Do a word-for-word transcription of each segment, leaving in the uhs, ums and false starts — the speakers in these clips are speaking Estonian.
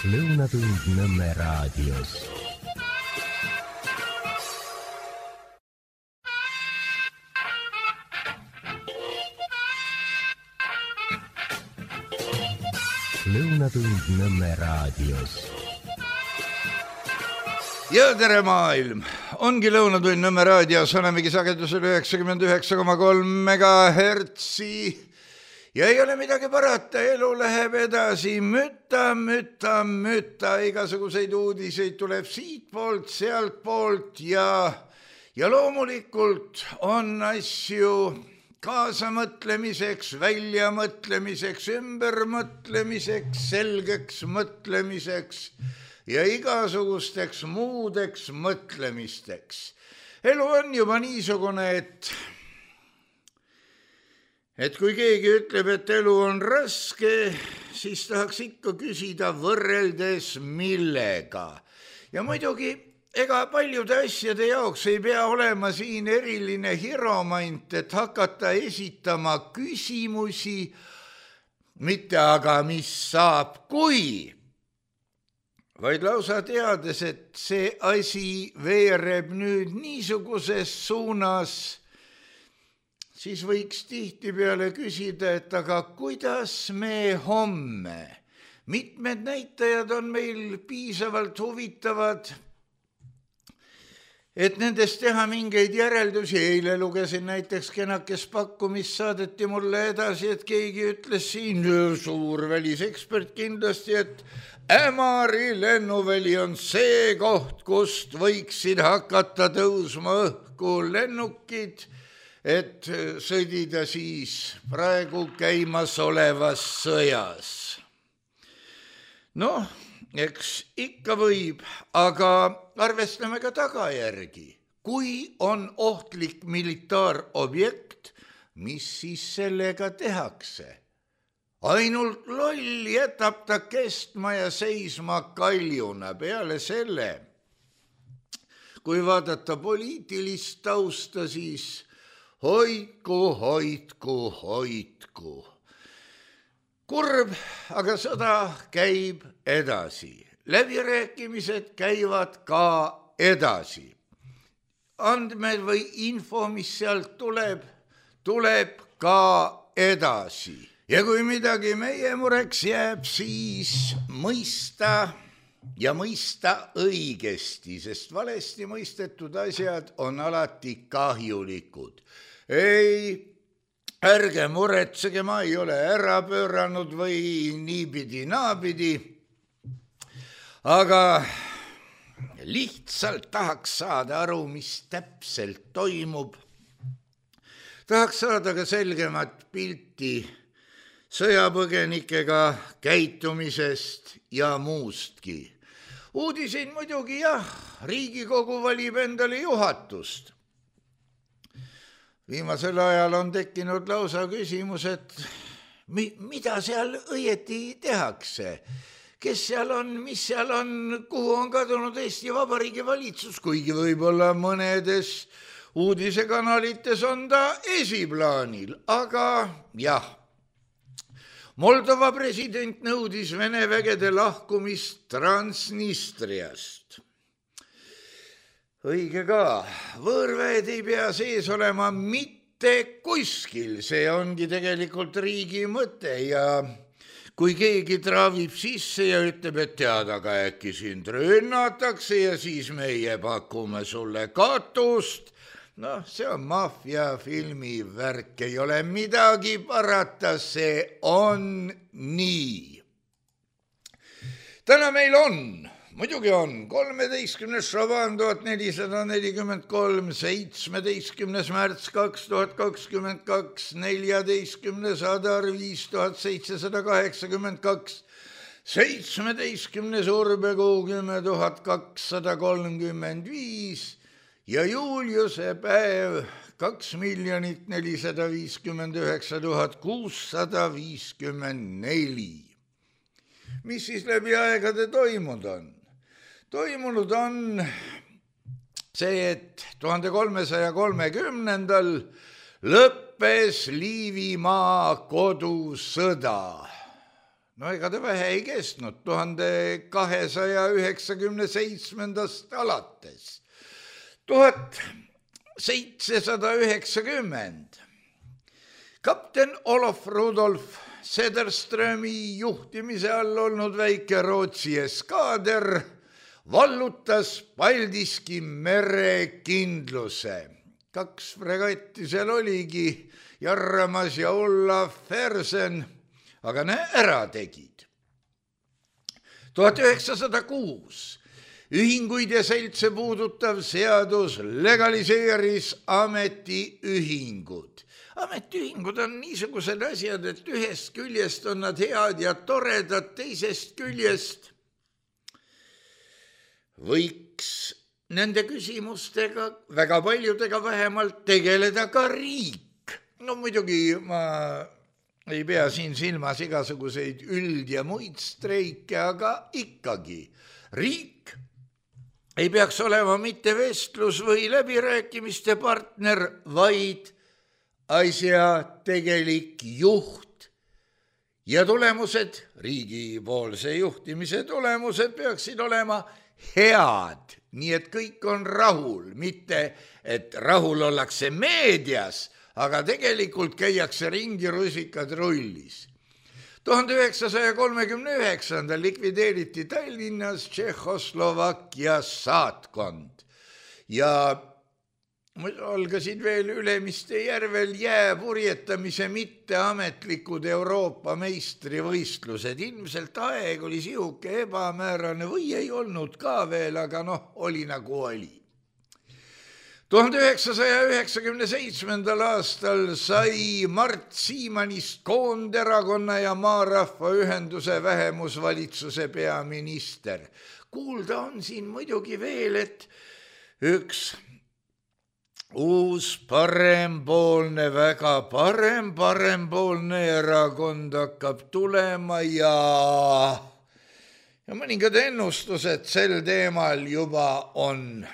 Lõunatund Nõmme raadios. Lõunatund Nõmme raadios. Ja tere maailm! Ongi Lõunatund Nõmme raadios, olemegi sagedusel üheksakümmend üheksa koma kolm megahertsi ja ei ole midagi parata, elu läheb edasi, mütta, mütta, mütta, igasuguseid uudiseid tuleb siit poolt, sealt poolt ja, ja loomulikult on asju kaasamõtlemiseks, väljamõtlemiseks, ümbermõtlemiseks, selgeks mõtlemiseks ja igasugusteks muudeks mõtlemisteks. Elu on juba niisugune, et, et kui keegi ütleb, et elu on raske, siis tahaks ikka küsida võrreldes millega. Ja muidugi, ega paljude asjade jaoks ei pea olema siin eriline hiromant, et hakata esitama küsimusi, mitte aga mis saab, kui, vaid lausa teades, et see asi veereb nüüd niisuguses suunas, siis võiks tihtipeale küsida, et aga kuidas me homme? Mitmed näitajad on meil piisavalt huvitavad, et nendest teha mingeid järeldusi. Eile lugesin näiteks kenakest pakkumist, saadeti mulle edasi, et keegi ütles siin, suur välisekspert kindlasti, et Ämari lennuväli on see koht, kust võiksid hakata tõusma õhku lennukid, et sõdida siis praegu käimas olevas sõjas. Noh, eks ikka võib, aga arvestame ka tagajärgi. Kui on ohtlik militaarobjekt, mis siis sellega tehakse? Ainult loll jätab ta kestma ja seisma kaljuna. Peale selle, kui vaadata poliitilist tausta, siis hoidku, hoidku, hoidku. Kurb, aga sõda käib edasi. Läbirääkimised käivad ka edasi. Andmed või info, mis sealt tuleb, tuleb ka edasi. Ja kui midagi meie mureks jääb, siis mõista ja mõista õigesti, sest valesti mõistetud asjad on alati kahjulikud. Ei, ärge muretsege, ma ei ole ära pööranud või niipidi naapidi, aga lihtsalt tahaks saada aru, mis täpselt toimub. Tahaks saada ka selgemat pilti sõjapõgenikega käitumisest ja muustki. Uudisin muidugi jah, Riigikogu valib endale juhatust. Viimasel ajal on tekkinud lausa küsimus, et mi- mida seal õieti tehakse? Kes seal on, mis seal on, kuhu on kadunud Eesti Vabariigi valitsus, kuigi võib-olla mõnedes uudisekanalites on ta esiplaanil, aga jah. Moldova president nõudis Vene vägede lahkumist Transnistriast. Õige ka, võõrväed ei pea sees olema mitte kuskil, see ongi tegelikult riigi mõte ja kui keegi traavib sisse ja ütleb, et tead, aga äkki sind rünnatakse ja siis meie pakume sulle katust, noh, see on maffiafilmi värk, ei ole midagi parata, see on nii. Täna meil on, muidugi on, kolmeteistkümnes Šaban tuhat nelisada nelikümmend kolm, seitsmeteistkümnes märts kaks tuhat kakskümmend kaks, neljateistkümnes Adar viis tuhat seitsesada kaheksakümmend kaks, seitsmeteistkümnes Urbekuu kümme tuhat kakssada kolmkümmend viis, ja Juliuse päev kaks miljonit nelisada viiskümmend üheksa tuhat kuussada viiskümmend neli. Mis siis läbi aegade toimunud on? Toimunud on see, et tuhande kolmesaja kolmekümnendal lõppes Liivimaa kodusõda. no ega ta vähe ei kestnud, tuhande kahesaja üheksakümne seitsmendast alates. tuhat seitsesada üheksakümmend. kapten Olof Rudolf Sederströmi juhtimise all olnud väike Rootsi eskaader vallutas Paldiski merekindluse. Kaks fregatti seal oligi, Jarramas ja Ulla Fersen, aga ne ära tegid. tuhat üheksasada kuus ühinguid ja seltse puudutav seadus legaliseeris ametiühingud. Ametiühingud on niisugused asjad, et ühest küljest on nad head ja toredad, teisest küljest võiks nende küsimustega, väga paljudega vähemalt, tegeleda ka riik. No muidugi ma ei pea siin silmas igasuguseid üld- ja muid streike, aga ikkagi riik ei peaks olema mitte vestlus või läbirääkimiste partner, vaid asja tegelik juht. Ja tulemused, riigipoolse juhtimise tulemused peaksid olema head, nii et kõik on rahul, mitte et rahul ollakse meedias, aga tegelikult käiakse ringi rusikad rullis. tuhande üheksasaja kolmekümne üheksandal likvideeriti Tallinnas Tšehhoslovakkia saatkond ja algasid veel Ülemiste järvel jääpurjetamise mitteametlikud Euroopa meistrivõistlused. Ilmselt aeg oli sihuke ebamäärane või ei olnud ka veel, aga noh, oli nagu oli. tuhande üheksasaja üheksakümne seitsmendal aastal sai Mart Siimanist Koonderakonna ja Maarahva ühenduse vähemusvalitsuse peaminister. Kuulda on siin muidugi veel, et üks uus parempoolne, väga parem parempoolne erakond hakkab tulema ja, ja mõningad ennustused sel teemal juba on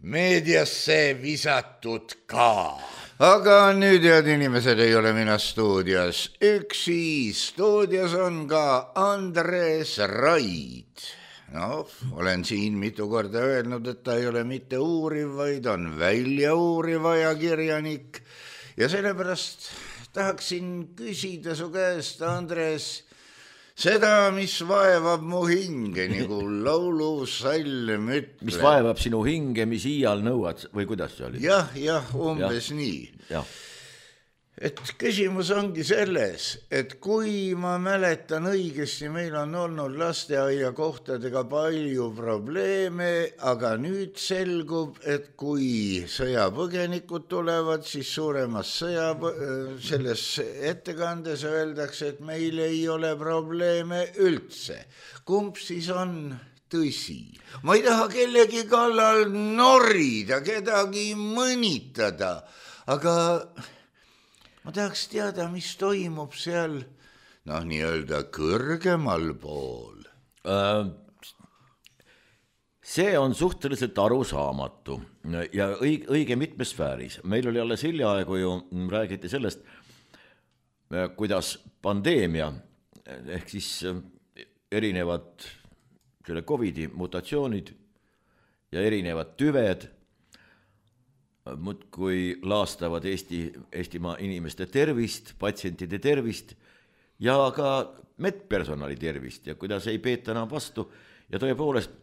meediasse visatud ka. Aga nüüd, head inimesed, ei ole mina stuudios üksi. Stuudios on ka Andres Raid. No, olen siin mitu korda öelnud, et ta ei ole mitte uuriv, vaid on välja uuriv ajakirjanik. Ja sellepärast tahaksin küsida su käest, Andres, seda, mis vaevab mu hinge, nagu laulusalm ütleb. Mis vaevab sinu hinge, mis iial nõuad, või kuidas see oli? Jah, jah, umbes ja. nii. Jah. Et küsimus ongi selles, et kui ma mäletan õigesti, meil on olnud lasteaia kohtadega palju probleeme, aga nüüd selgub, et kui sõjapõgenikud tulevad, siis suuremas sõja, selles ettekandes öeldakse, et meil ei ole probleeme üldse. Kumb siis on tõsi? Ma ei taha kellegi kallal norida, kedagi mõnitada, aga ma tahaks teada, mis toimub seal, noh, nii-öelda kõrgemal pool. See on suhteliselt arusaamatu ja õige, õige mitmes sfääris. Meil oli alles hiljaaegu ju räägiti sellest, kuidas pandeemia, ehk siis erinevad selle covidi mutatsioonid ja erinevad tüved muudkui laastavad Eesti, Eestimaa inimeste tervist, patsientide tervist ja ka medpersonali tervist ja kuidas ei peeta enam vastu ja tõepoolest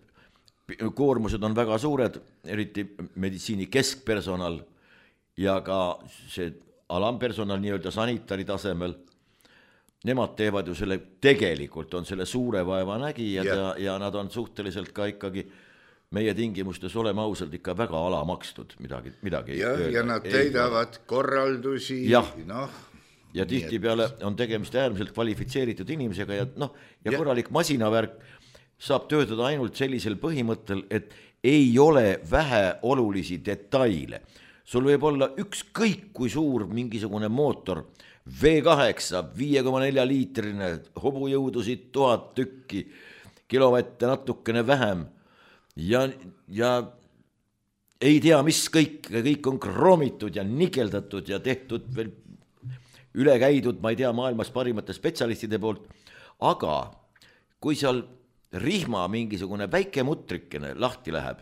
koormused on väga suured, eriti meditsiini keskpersonal ja ka see alampersonal nii-öelda sanitari tasemel. Nemad teevad ju selle, tegelikult on selle suure vaeva nägijad ja, ja nad on suhteliselt ka ikkagi meie tingimustes oleme ausalt ikka väga alamakstud midagi, midagi ja, ja nad täidavad ei, korraldusi. Jah, noh, ja tihti peale on tegemist äärmiselt kvalifitseeritud inimesega ja, noh, ja, ja korralik masinavärk saab töötada ainult sellisel põhimõttel, et ei ole vähe olulisi detaile. Sul võib olla ükskõik kui suur mingisugune mootor, V kaheksa, viie koma nelja liitrine, hobujõudusid tuhat tükki, kilovatte natukene vähem, Ja, ja ei tea, mis kõik, kõik on kroomitud ja nikeldatud ja tehtud veel üle käidud, ma ei tea, maailmas parimate spetsialistide poolt, aga kui seal rihma mingisugune väike mutrikene lahti läheb,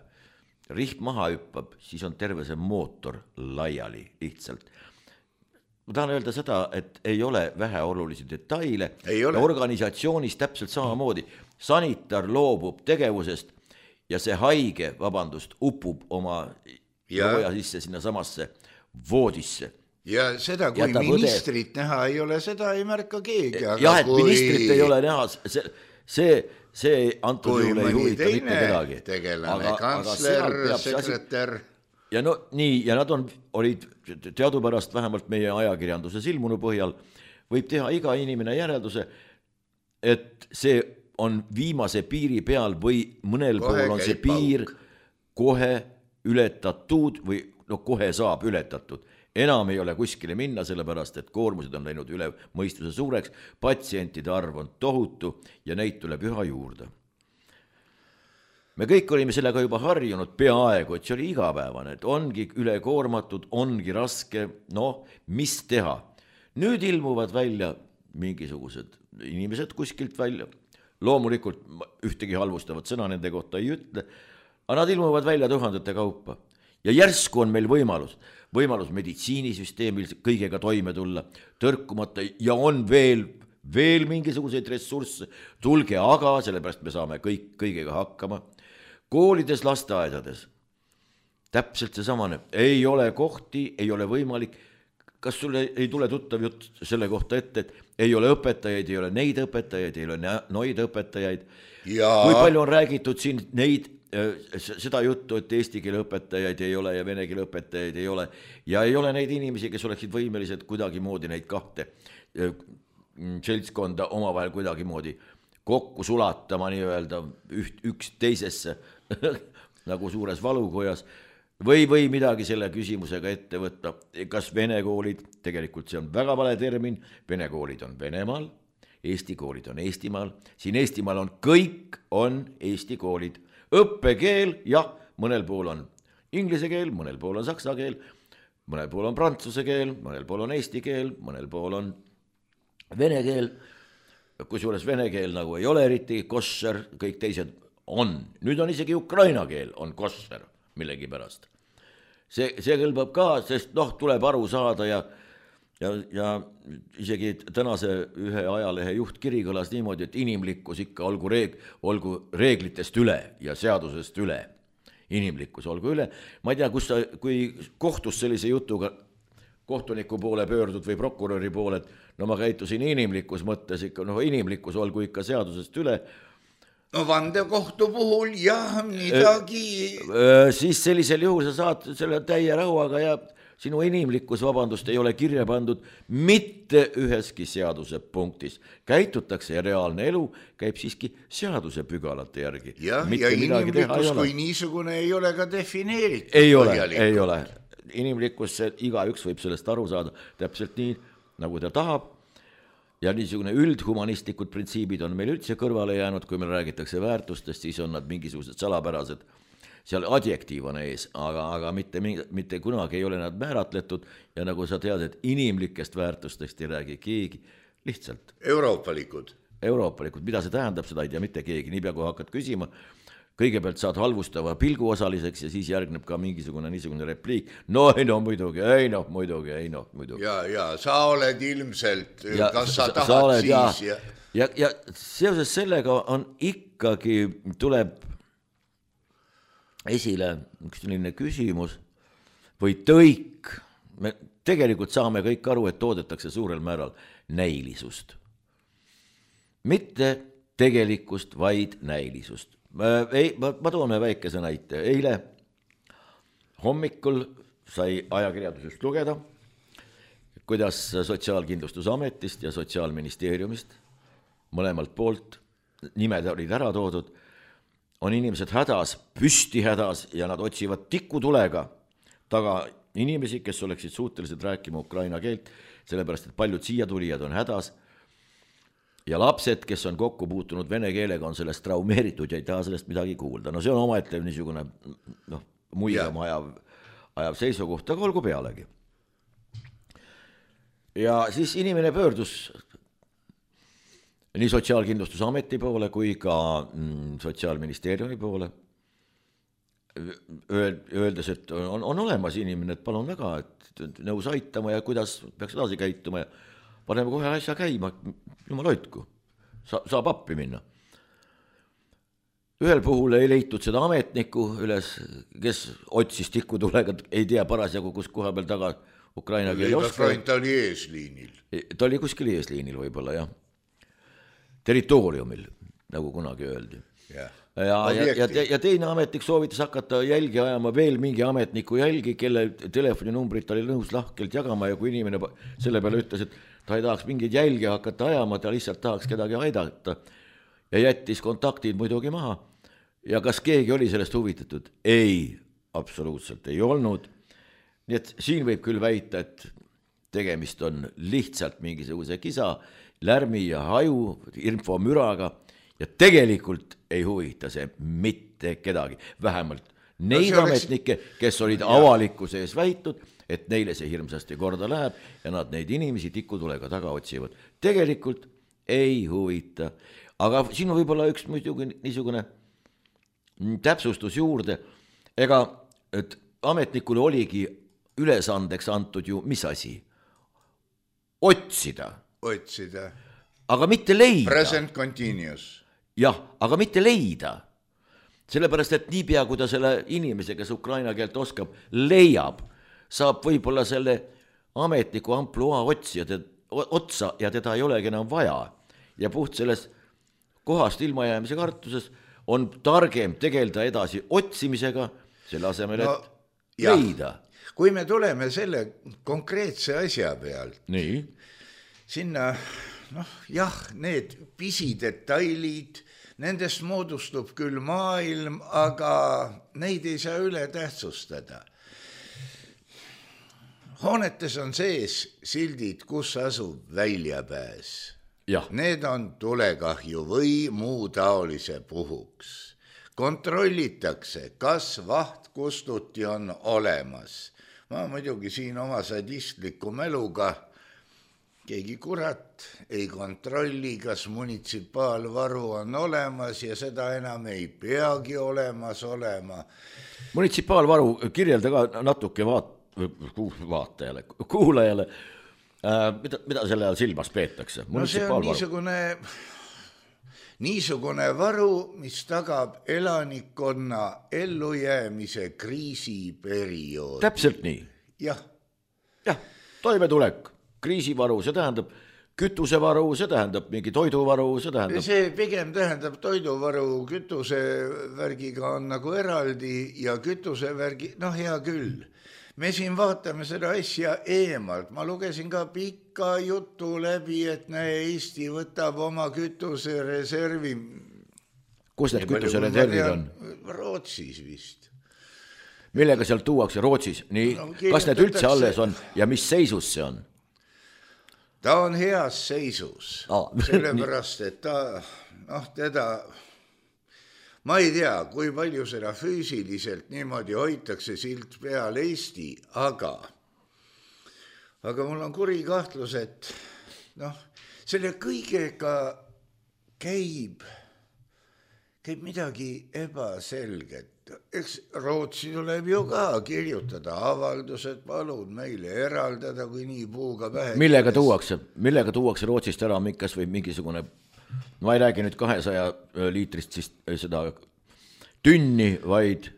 rihm maha hüppab, siis on terve see mootor laiali lihtsalt. Ma tahan öelda seda, et ei ole väheolulisi detaile ja organisatsioonis täpselt samamoodi. Sanitar loobub tegevusest ja see haige, vabandust, upub oma looja sisse sinna samasse voodisse. Ja seda, kui Jätab ministrit õde... näha ei ole, seda ei märka keegi. Jah, et kui... ministrit ei ole näha, see, see, see antud juhul ei huvita mitte kedagi. Tegelane, aga, kantsler, aga sekretär. Ja no nii, ja nad on, olid teadupärast vähemalt meie ajakirjanduses ilmunu põhjal, võib teha iga inimene järelduse, et see on viimase piiri peal või mõnel kohe pool on see piir pauk. Kohe ületatud või no kohe saab ületatud. Enam ei ole kuskile minna, sellepärast, et koormused on läinud üle mõistuse suureks, patsientide arv on tohutu ja neid tuleb üha juurde. Me kõik olime sellega juba harjunud peaaegu, et see oli igapäevane, et ongi ülekoormatud, ongi raske, noh, mis teha. Nüüd ilmuvad välja mingisugused inimesed kuskilt välja, loomulikult ühtegi halvustavat sõna nende kohta ei ütle, aga nad ilmuvad välja tuhandete kaupa. Ja järsku on meil võimalus, võimalus meditsiinisüsteemil kõigega toime tulla, tõrkumata ja on veel, veel mingisuguseid ressursse, tulge aga, sellepärast me saame kõik, kõigega hakkama. Koolides, lasteaedades, täpselt see samane, ei ole kohti, ei ole võimalik, kas sulle ei tule tuttav jutt selle kohta ette, et ei ole õpetajaid, ei ole neid õpetajaid, ei ole noid õpetajaid. Ja... Kui palju on räägitud siin neid, seda juttu, et eesti keele õpetajaid ei ole ja vene keele õpetajaid ei ole ja ei ole neid inimesi, kes oleksid võimelised kuidagi moodi neid kahte seltskonda omavahel kuidagi moodi kokku sulatama nii-öelda üht, üks teisesse nagu suures valukojas või, või midagi selle küsimusega ette võtta. Kas vene koolid, tegelikult see on väga vale termin, vene koolid on Venemaal, eesti koolid on Eestimaal, siin Eestimaal on kõik on eesti koolid. Õppekeel, jah, mõnel pool on inglise keel, mõnel pool on saksa keel, mõnel pool on prantsuse keel, mõnel pool on eesti keel, mõnel pool on vene keel, kusjuures vene keel nagu ei ole eriti kosser, kõik teised on. Nüüd on isegi ukraina keel on kosser millegi pärast. See, see kõlbab ka, sest noh, tuleb aru saada ja, ja, ja isegi tänase ühe ajalehe juhtkiri kõlas niimoodi, et inimlikkus ikka olgu, reeg, olgu reeglitest üle ja seadusest üle. Inimlikkus olgu üle. Ma ei tea, kus sa, kui kohtus sellise jutuga kohtuniku poole pöördud või prokuröri poole, et no ma käitusin inimlikkus mõttes ikka, noh inimlikkus olgu ikka seadusest üle. No vandekohtu puhul jah, midagi. Siis sellisel juhul sa saad selle täie rahuaga ja sinu inimlikkus, vabandust, ei ole kirja pandud mitte üheski seaduse punktis. Käitutakse ja reaalne elu käib siiski seaduse pügalate järgi. Ja, ja inimlikkus kui niisugune ei ole ka defineeritud. Ei ole, ei ole. Inimlikkus, iga üks võib sellest aru saada täpselt nii, nagu ta tahab. Ja niisugune üldhumanistlikud printsiibid on meil üldse kõrvale jäänud, kui meil räägitakse väärtustest, siis on nad mingisugused salapärased, seal adjektiiv on ees, aga, aga mitte, mitte kunagi ei ole nad määratletud ja nagu sa tead, et inimlikest väärtustest ei räägi keegi, lihtsalt. Euroopalikud. Euroopalikud, mida see tähendab, seda ei tea mitte keegi, niipea kui hakkad küsima, kõigepealt saad halvustava pilgu osaliseks ja siis järgneb ka mingisugune niisugune repliik. No ei no muidugi, ei noh muidugi, ei noh muidugi. Ja, ja sa oled ilmselt, ja, kas sa, sa tahad sa oled, siis. Ja, ja, ja seoses sellega on ikkagi, tuleb esile üks selline küsimus või tõik. Me tegelikult saame kõik aru, et toodetakse suurel määral näilisust. Mitte tegelikkust, vaid näilisust. Ei, ma, ma toome väikese näite. Eile hommikul sai ajakirjandusest lugeda, kuidas Sotsiaalkindlustusametist ja Sotsiaalministeeriumist mõlemalt poolt, nimed olid ära toodud, on inimesed hädas, püsti hädas ja nad otsivad tikutulega taga inimesi, kes oleksid suutelised rääkima ukraina keelt, sellepärast, et paljud siia tulijad on hädas. Ja lapsed, kes on kokku puutunud vene keelega, on sellest traumeeritud ja ei taha sellest midagi kuulda. No see on omaette niisugune noh, muigama ajav, ajav seisukoht, aga olgu pealegi. ja siis inimene pöördus nii Sotsiaalkindlustusameti poole kui ka mm, Sotsiaalministeeriumi poole, öeldes, et on, on olemas inimene, et palun väga, et nõus aitama ja kuidas peaks edasi käituma ja paneme kohe asja käima, jumal hoidku, Sa, saab appi minna. Ühel puhul ei leitud seda ametnikku üles, kes otsis tikutulega, ei tea parasjagu, kus koha peal taga Ukraina keeli oska. Ta oli eesliinil. Ta oli kuskil eesliinil võib-olla, jah. Territooriumil, nagu kunagi öeldi. Ja, ja, ja, ja, te, ja teine ametnik soovitas hakata jälgi ajama veel mingi ametniku jälgi, kelle telefoninumbrit oli nõus lahkelt jagama ja kui inimene selle peale ütles, et ta ei tahaks mingeid jälgi hakata ajama, ta lihtsalt tahaks kedagi aidata ja jättis kontaktid muidugi maha. Ja kas keegi oli sellest huvitatud? Ei, absoluutselt ei olnud. Nii et siin võib küll väita, et tegemist on lihtsalt mingisuguse kisa, lärmi ja haju, infomüraga ja tegelikult ei huvita see mitte kedagi. Vähemalt neid no ametnikke, kes olid avalikkuse ees väitud, et neile see hirmsasti korda läheb ja nad neid inimesi tikutulega taga otsivad. Tegelikult ei huvita. Aga siin on võib-olla üks muidugi niisugune täpsustus juurde. Ega et ametnikule oligi ülesandeks antud ju mis asi? Otsida. Otsida. Aga mitte leida. Present continuous. Jah, aga mitte leida. Sellepärast, et niipea, kui ta selle inimese, kes ukraina keelt oskab, leiab, saab võib-olla selle ametniku ampluaa otsija te, otsa ja teda ei olegi enam vaja. Ja puht selles kohast ilmajäämise kartuses on targem tegelda edasi otsimisega, selle asemel, et no, leida. Kui me tuleme selle konkreetse asja pealt, nii. Sinna, noh, jah, need pisidetailid, nendest moodustub küll maailm, aga neid ei saa üle tähtsustada. Hoonetes on sees sildid, kus asub väljapääs. Ja. Need on tulekahju või muu taolise puhuks. Kontrollitakse, kas vahtkustuti on olemas. Ma muidugi siin oma sadistliku mäluga keegi kurat ei kontrolli, kas munitsipaalvaru on olemas ja seda enam ei peagi olemas olema. Munitsipaalvaru kirjelda ka natuke vaat, vaatajale, kuulajale, äh, mida, mida selle all silmas peetakse? No see on niisugune, niisugune varu, mis tagab elanikkonna ellujäämise kriisiperioodi. Täpselt nii. Jah. Jah, toimetulek. Kriisivaru, see tähendab kütusevaru, see tähendab mingi toiduvaru, see tähendab... See pigem tähendab toiduvaru, kütusevärgiga on nagu eraldi ja kütusevärgi, noh hea küll. Me siin vaatame seda asja eemalt. Ma lugesin ka pikka jutu läbi, et näe, Eesti võtab oma kütusereservi. Kus need kütusereservid on? Rootsis vist. Millega seal tuuakse Rootsis? Nii, no, kas need üldse alles on ja mis seisus see on? Ta on heas seisus, ah. Sellepärast, et ta, noh, teda, ma ei tea, kui palju seda füüsiliselt niimoodi hoitakse silt peal Eesti, aga, aga mul on kuri kahtlus, et noh, selle kõigega käib, käib midagi ebaselget. Eks Rootsi tuleb ju ka kirjutada avaldused, palun meile eraldada, kui nii puuga pähe. Millega tuuakse, millega tuuakse Rootsist ära kas või mingisugune, ma ei räägi nüüd kahesaja liitrist siis seda tünni, vaid,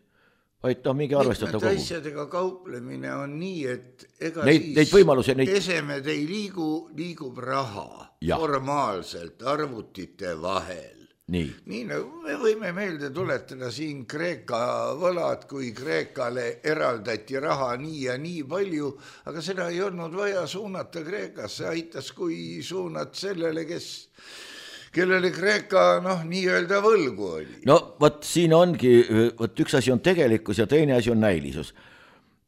vaid ta mingi arvestatav kogu. Asjadega kauplemine on nii, et ega neid, siis neid neid... esemed ei liigu, liigub raha ja. Formaalselt arvutite vahel. Nii. Nii nagu me võime meelde tuletada siin Kreeka võlad, kui Kreekale eraldati raha nii ja nii palju, aga seda ei olnud vaja suunata Kreekasse, aitas kui suunat sellele, kes, kellele Kreeka noh, nii-öelda võlgu oli. No võt siin ongi, võt üks asi on tegelikkus ja teine asi on näilisus.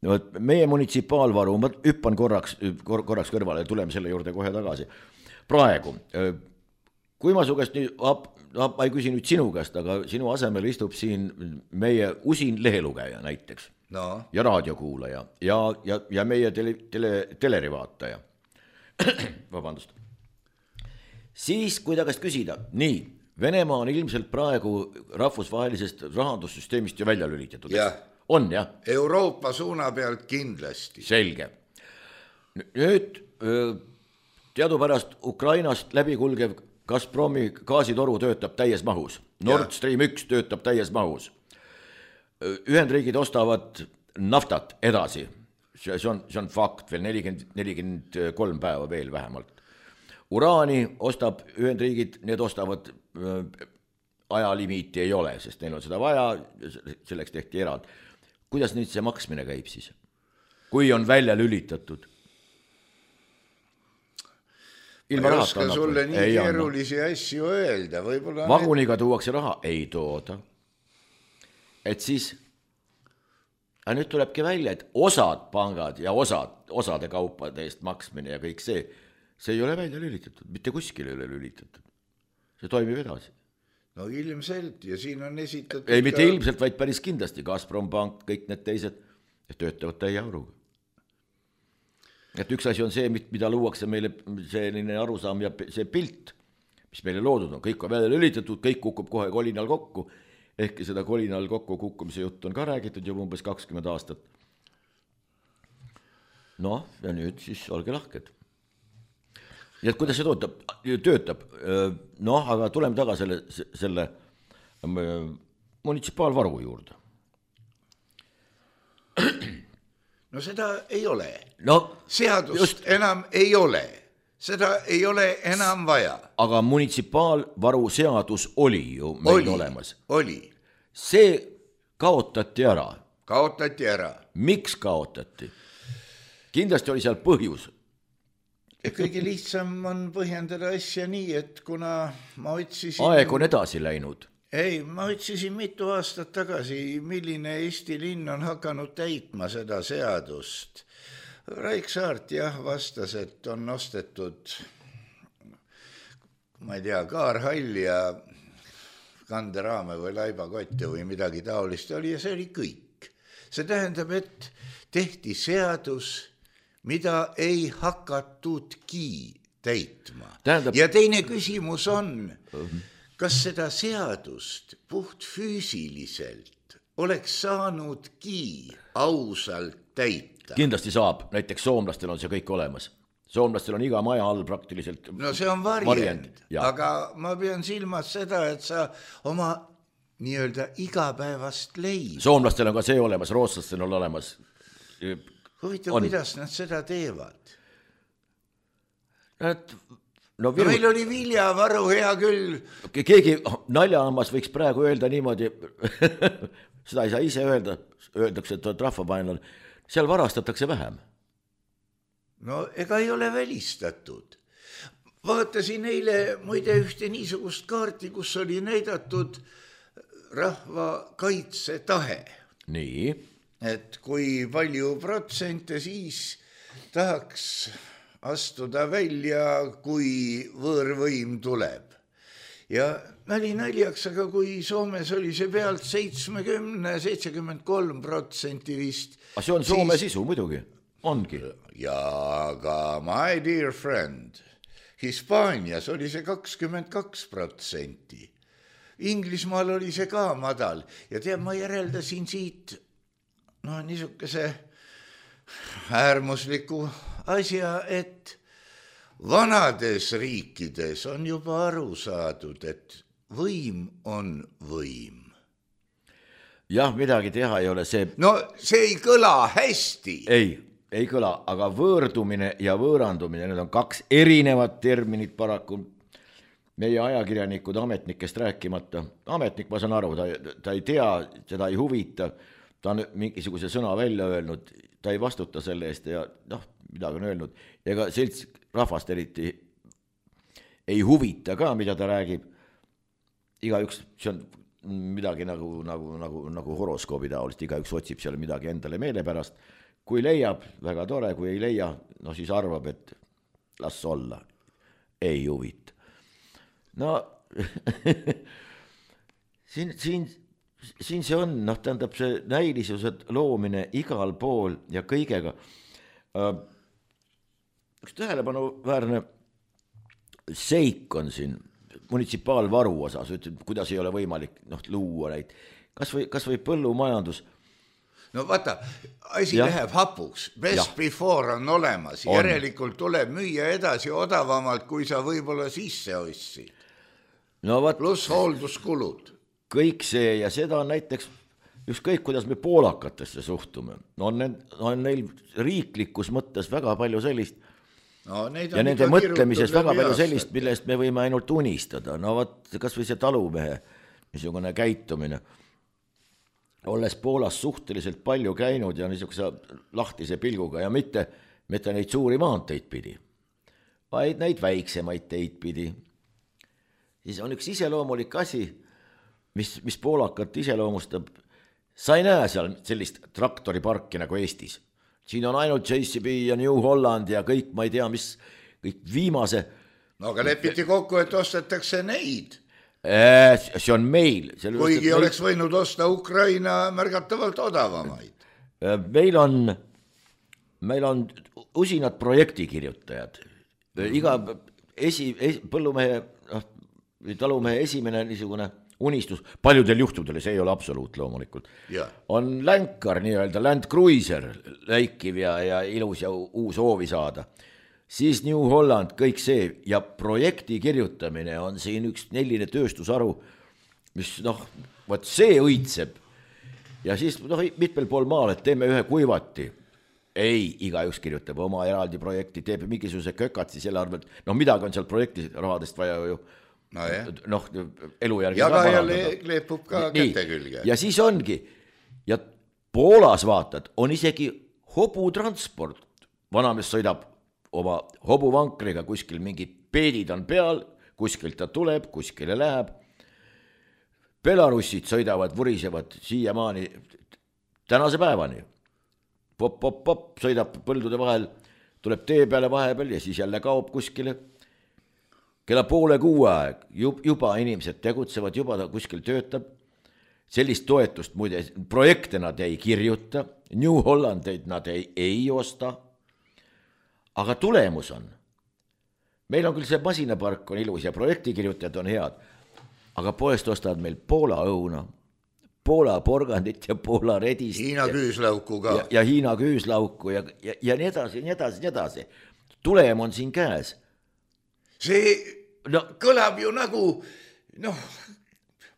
Võt, meie munitsipaalvaru, ma hüppan korraks, kor, korraks kõrvale ja tuleme selle juurde kohe tagasi. Praegu, kui ma su käest nüüd... No, ma ei küsi nüüd sinu käest, aga sinu asemel istub siin meie usin lehelugeja näiteks no. Ja raadiokuulaja ja, ja, ja meie tele, tele, telerivaataja, vabandust. Siis, kui ta käest küsida, nii, Venemaa on ilmselt praegu rahvusvahelisest rahandussüsteemist ju välja lülitatud. On, jah? Euroopa suuna pealt kindlasti. Selge. Nüüd teadupärast Ukrainast läbikulgev Gazpromi gaasitoru töötab täies mahus. Nord Stream üks töötab täies mahus. Ühendriigid ostavad naftat edasi. See on, see on fakt, veel nelikümmend, nelikümmend kolm päeva veel vähemalt. Uraani ostab Ühendriigid, need ostavad äh, ajalimiiti ei ole, sest neil on seda vaja, selleks tehti erald. Kuidas nüüd see maksmine käib siis? Kui on välja lülitatud? Ilma ma ei oska sulle nii ei keerulisi anna. Asju öelda. Võibolla vaguniga need... tuuakse raha? Ei tooda. Et siis, aga nüüd tulebki välja, et osad pangad ja osad, osade kaupade eest maksmine ja kõik see, see ei ole välja lülitatud, mitte kuskil ei ole lülitatud. See toimib edasi. No ilmselt ja siin on esitatud... Ei, mitte ka... ilmselt, vaid päris kindlasti. Gazprom Bank, kõik need teised töötavad täie auruga. Et üks asi on see, mida luuakse meile selline arusaam ja see pilt, mis meile loodud on. Kõik on välja lülitatud, kõik kukub kohe kolinal kokku. Ehkki seda kolinal kokku kukkumise juttu on ka räägitud juba umbes kakskümmend aastat. No, ja nüüd siis olge lahked. Ja kuidas see töötab? töötab? Noh, aga tuleme taga selle, selle munitsipaalvaru juurde. No seda ei ole. No, seadust just... enam ei ole. Seda ei ole enam vaja. Aga munitsipaalvaru seadus oli ju meil oli, olemas. Oli. See kaotati ära. Kaotati ära. Miks kaotati? Kindlasti oli seal põhjus. Kõige lihtsam on põhjendada asja nii, et kuna ma otsisin... Aeg on edasi läinud. Ei, ma otsisin mitu aastat tagasi, milline Eesti linn on hakanud täitma seda seadust. Raik Saart jah vastas, et on ostetud, ma ei tea, kaarhall ja kanderaame või laibakotte või midagi taolist oli ja see oli kõik. See tähendab, et tehti seadus... mida ei hakatudki täitma. Tähendab... Ja teine küsimus on, kas seda seadust puht füüsiliselt oleks saanudki ausalt täita? Kindlasti saab, näiteks soomlastel on see kõik olemas. Soomlastel on iga maja all praktiliselt... No see on varjend, aga ma pean silmas seda, et sa oma nii-öelda igapäevast leid. Soomlastel on ka see olemas, rootslastel on olemas... Huvitav, kuidas nad seda teevad? Et, no, viru... no meil oli viljavaru hea küll. Keegi naljahammas võiks praegu öelda niimoodi, seda ei saa ise öelda, öeldakse, et on rahvapainal, seal varastatakse vähem. No ega ei ole välistatud. Vaatasin eile muide ühte niisugust kaarti, kus oli näidatud rahva kaitsetahe. Nii. Et kui palju protsente siis tahaks astuda välja, kui võõrvõim tuleb. Ja nali naljaks, aga kui Soomes oli see pealt seitsekümmend, seitsekümmend kolm protsenti vist. Aga see on Soome siis... sisu muidugi, ongi. Ja aga my dear friend, Hispaanias oli see kakskümmend kaks protsenti. Inglismaal oli see ka madal ja tead, ma järeldasin siit no niisuguse äärmusliku asja, et vanades riikides on juba aru saadud, et võim on võim. Jah, midagi teha ei ole see... No see ei kõla hästi. Ei, ei kõla, aga võõrdumine ja võõrandumine, need on kaks erinevat terminit paraku. Meie ajakirjanikud ametnikest rääkimata. Ametnik, ma saan aru, ta, ta ei tea, seda ei huvita. Ta on mingisuguse sõna välja öelnud, ta ei vastuta selle eest ja noh, midagi on öelnud. Ega selts rahvast eriti ei huvita ka, mida ta räägib. Igaüks, see on midagi nagu, nagu, nagu, nagu horoskoobi taolist, igaüks otsib seal midagi endale meele pärast. Kui leiab, väga tore, kui ei leia, no siis arvab, et las olla, ei huvita. No, siin, siin, siin see on, noh, tähendab see näilisuse loomine igal pool ja kõigega. Üks tähelepanuväärne seik on siin munitsipaalvaru osas, ütleb, kuidas ei ole võimalik noh, luua neid, kas või, kas või põllumajandus. No vaata, asi ja. läheb hapuks, best ja. before on olemas, on. Järelikult tuleb müüa edasi odavamalt, kui sa võib-olla sisse ostsid. No, vaat, pluss hoolduskulud. Kõik see ja seda on näiteks ükskõik, kuidas me poolakatesse suhtume. No on, need, on neil riiklikus mõttes väga palju sellist no, ja nende mõtlemises väga palju sellist, millest me võime ainult unistada. No vaat, kas või see talumehe niisugune käitumine. Olles Poolas suhteliselt palju käinud ja niisuguse lahtise pilguga ja mitte, mitte neid suuri maanteid pidi, vaid neid väiksemaid teid pidi. Siis on üks iseloomulik asi, mis, mis poolakat iseloomustab. Sa ei näe seal sellist traktoriparki nagu Eestis. Siin on ainult J C B ja New Holland ja kõik, ma ei tea, mis kõik viimase. No aga lepiti kokku, et ostetakse neid. See on meil. Kuigi meil... oleks võinud osta Ukraina märgatavalt odavamaid. Meil on, meil on usinad projektikirjutajad. Iga esi, esi, põllumehe, talumehe esimene niisugune unistus, paljudel juhtudel, see ei ole absoluut loomulikult, ja. on länkar, nii-öelda Land Cruiser, läikiv ja, ja ilus ja uus hoovi saada. Siis New Holland, kõik see ja projekti kirjutamine on siin üks neline tööstusharu, mis noh, võt see õitseb. Ja siis noh, mitmel pool maal, et teeme ühe kuivati. Ei, igaüks kirjutab oma eraldi projekti, teeb mingisuguse kökatsi selle arvelt. No midagi on seal projekti rahadest vaja ju no, noh, elu järgi. Ja ka jälle kleepub ka käte külge. Ja siis ongi. Ja Poolas vaatad, on isegi hobutransport. Vanamees sõidab oma hobuvankriga, kuskil mingid peedid on peal, kuskilt ta tuleb, kuskile läheb. Belarussid sõidavad, vurisevad siiamaani tänase päevani. Pop, pop, pop, sõidab põldude vahel, tuleb tee peale vahepeal ja siis jälle kaob kuskile. Kella poole kuu aeg juba inimesed tegutsevad, juba ta kuskil töötab. Sellist toetust muide, projekte nad ei kirjuta, New Hollandeid nad ei, ei osta. Aga tulemus on, meil on küll see masinapark on ilus ja projektikirjutajad on head, aga poest ostavad meil Poola õuna, Poola porgandit ja Poola redist. Hiina ja, küüslauku ka. Ja, ja Hiina küüslauku ja, ja, ja nii edasi, nii edasi, nii edasi. Tulem on siin käes. See no, kõlab ju nagu, noh,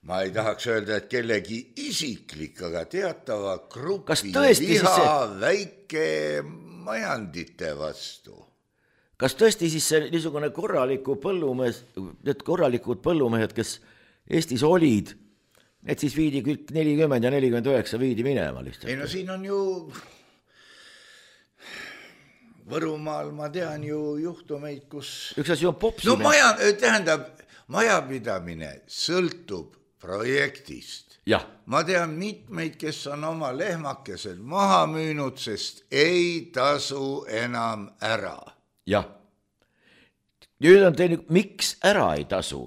ma ei tahaks öelda, et kellegi isiklik, aga teatava grupi liha see... väike majandite vastu. Kas tõesti siis see niisugune korraliku põllumees, need korralikud põllumehed, kes Eestis olid, need siis viidi kõik nelikümmend ja nelikümmend üheksa viidi minema lihtsalt? Ei no siin on ju, Võrumaal ma tean ju juhtumeid, kus... Üks asi on popsime. No maja, tähendab, majapidamine sõltub projektist. Ja. Ma tean mitmeid, kes on oma lehmakesed maha müünud, sest ei tasu enam ära. Jah. Nüüd on teine, miks ära ei tasu?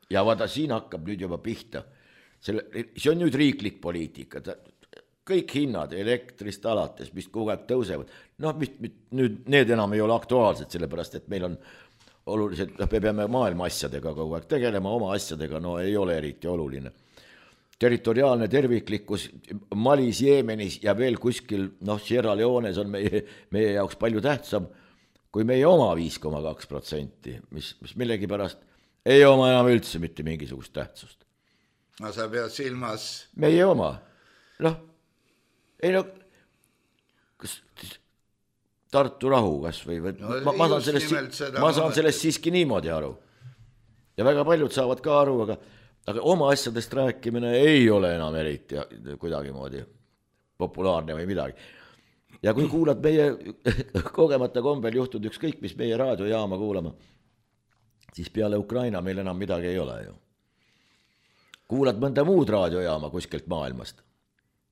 Ja vaada, siin hakkab nüüd juba pihta. Selle, see on nüüd riiklik poliitika. Kõik hinnad elektrist alates, mis kogu aeg tõusevad. Noh, mit, mit, nüüd need enam ei ole aktuaalsed, sellepärast, et meil on oluliselt, me peame maailma asjadega kogu aeg tegelema, oma asjadega, no ei ole eriti oluline. Territoriaalne terviklikkus Malis, Jeemenis ja veel kuskil, noh, Sierra Leones on meie, meie jaoks palju tähtsam kui meie oma viis koma kaks protsenti, mis, mis millegi pärast ei oma enam üldse mitte mingisugust tähtsust. No sa pead silmas... Meie oma. Noh, ei no, kas Tartu rahu kas või, või no, ma, ma saan sellest, ma saan sellest siiski niimoodi aru. Ja väga paljud saavad ka aru, aga Aga oma asjadest rääkimine ei ole enam eriti kuidagi moodi populaarne või midagi. Ja kui kuulad meie kogemata kombel juhtud ükskõik, mis meie raadiojaama kuulama, siis peale Ukraina meil enam midagi ei ole ju. Kuulad mõnda muud raadiojaama kuskilt maailmast,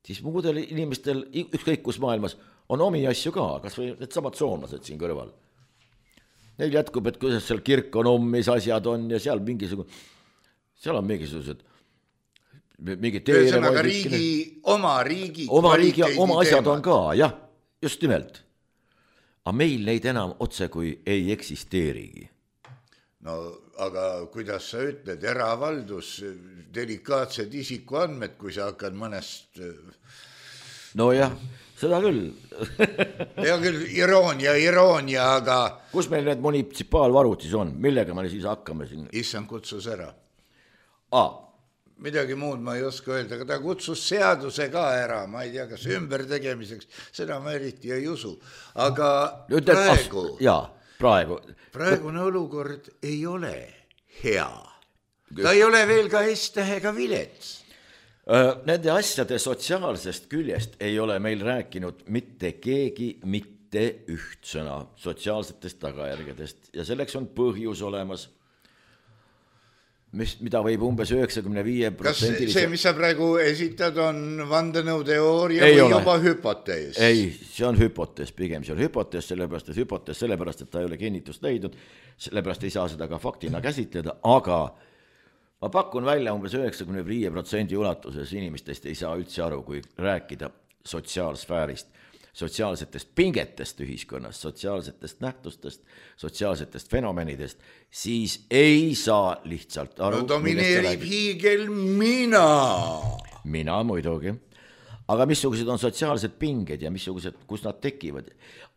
siis muudel inimestel ükskõik kus maailmas on omi asju ka, kas või need samad soomlased siin kõrval. Neil jätkub, et kuidas seal kirkonum, mis asjad on ja seal mingisugune... Seal on mingisugused mingi teeremoid. Riigi, oma riigi oma riigi, oma asjad on ka, jah, just nimelt. aga meil neid enam otse kui ei eksisteerigi. No aga kuidas sa ütled, eravaldus, delikaatsed isikuandmed, kui sa hakkad mõnest... No jah, seda küll. Ja küll iroonia, iroonia, aga... Kus meil need munitsipaalvarutis on? Millega me siis hakkame siin? Issand kutsus ära. Aa. Midagi muud ma ei oska öelda, aga ta kutsus seaduse ka ära, ma ei tea, kas ümber tegemiseks, seda ma eriti ei usu. Aga Ütled, praegu... As... Jaa, praegu... Praegune olukord ei ole hea. Ta ei ole veel ka S-tähega vilets. Nende asjade sotsiaalsest küljest ei ole meil rääkinud mitte keegi mitte üht sõna sotsiaalsetest tagajärgedest ja selleks on põhjus olemas, mis, mida võib umbes üheksakümne viie protsenti... Kas see, mis sa praegu esitad, on vandenõuteooria või ole. Juba hüpotees? Ei, see on hüpotees, pigem see on hüpotees, sellepärast, et hüpotees, sellepärast, et ta ei ole kinnitust leidnud, sellepärast ei saa seda ka faktina käsitleda, aga ma pakun välja umbes üheksakümne viie protsendi ulatuses inimestest ei saa üldse aru, kui rääkida sotsiaalsfäärist, sotsiaalsetest pingetest ühiskonnas, sotsiaalsetest nähtustest, sotsiaalsetest fenomenidest, siis ei saa lihtsalt aru. No domineerib hiigel mina. Mina muidugi. Aga missugused on sotsiaalsed pinged ja missugused, kus nad tekivad.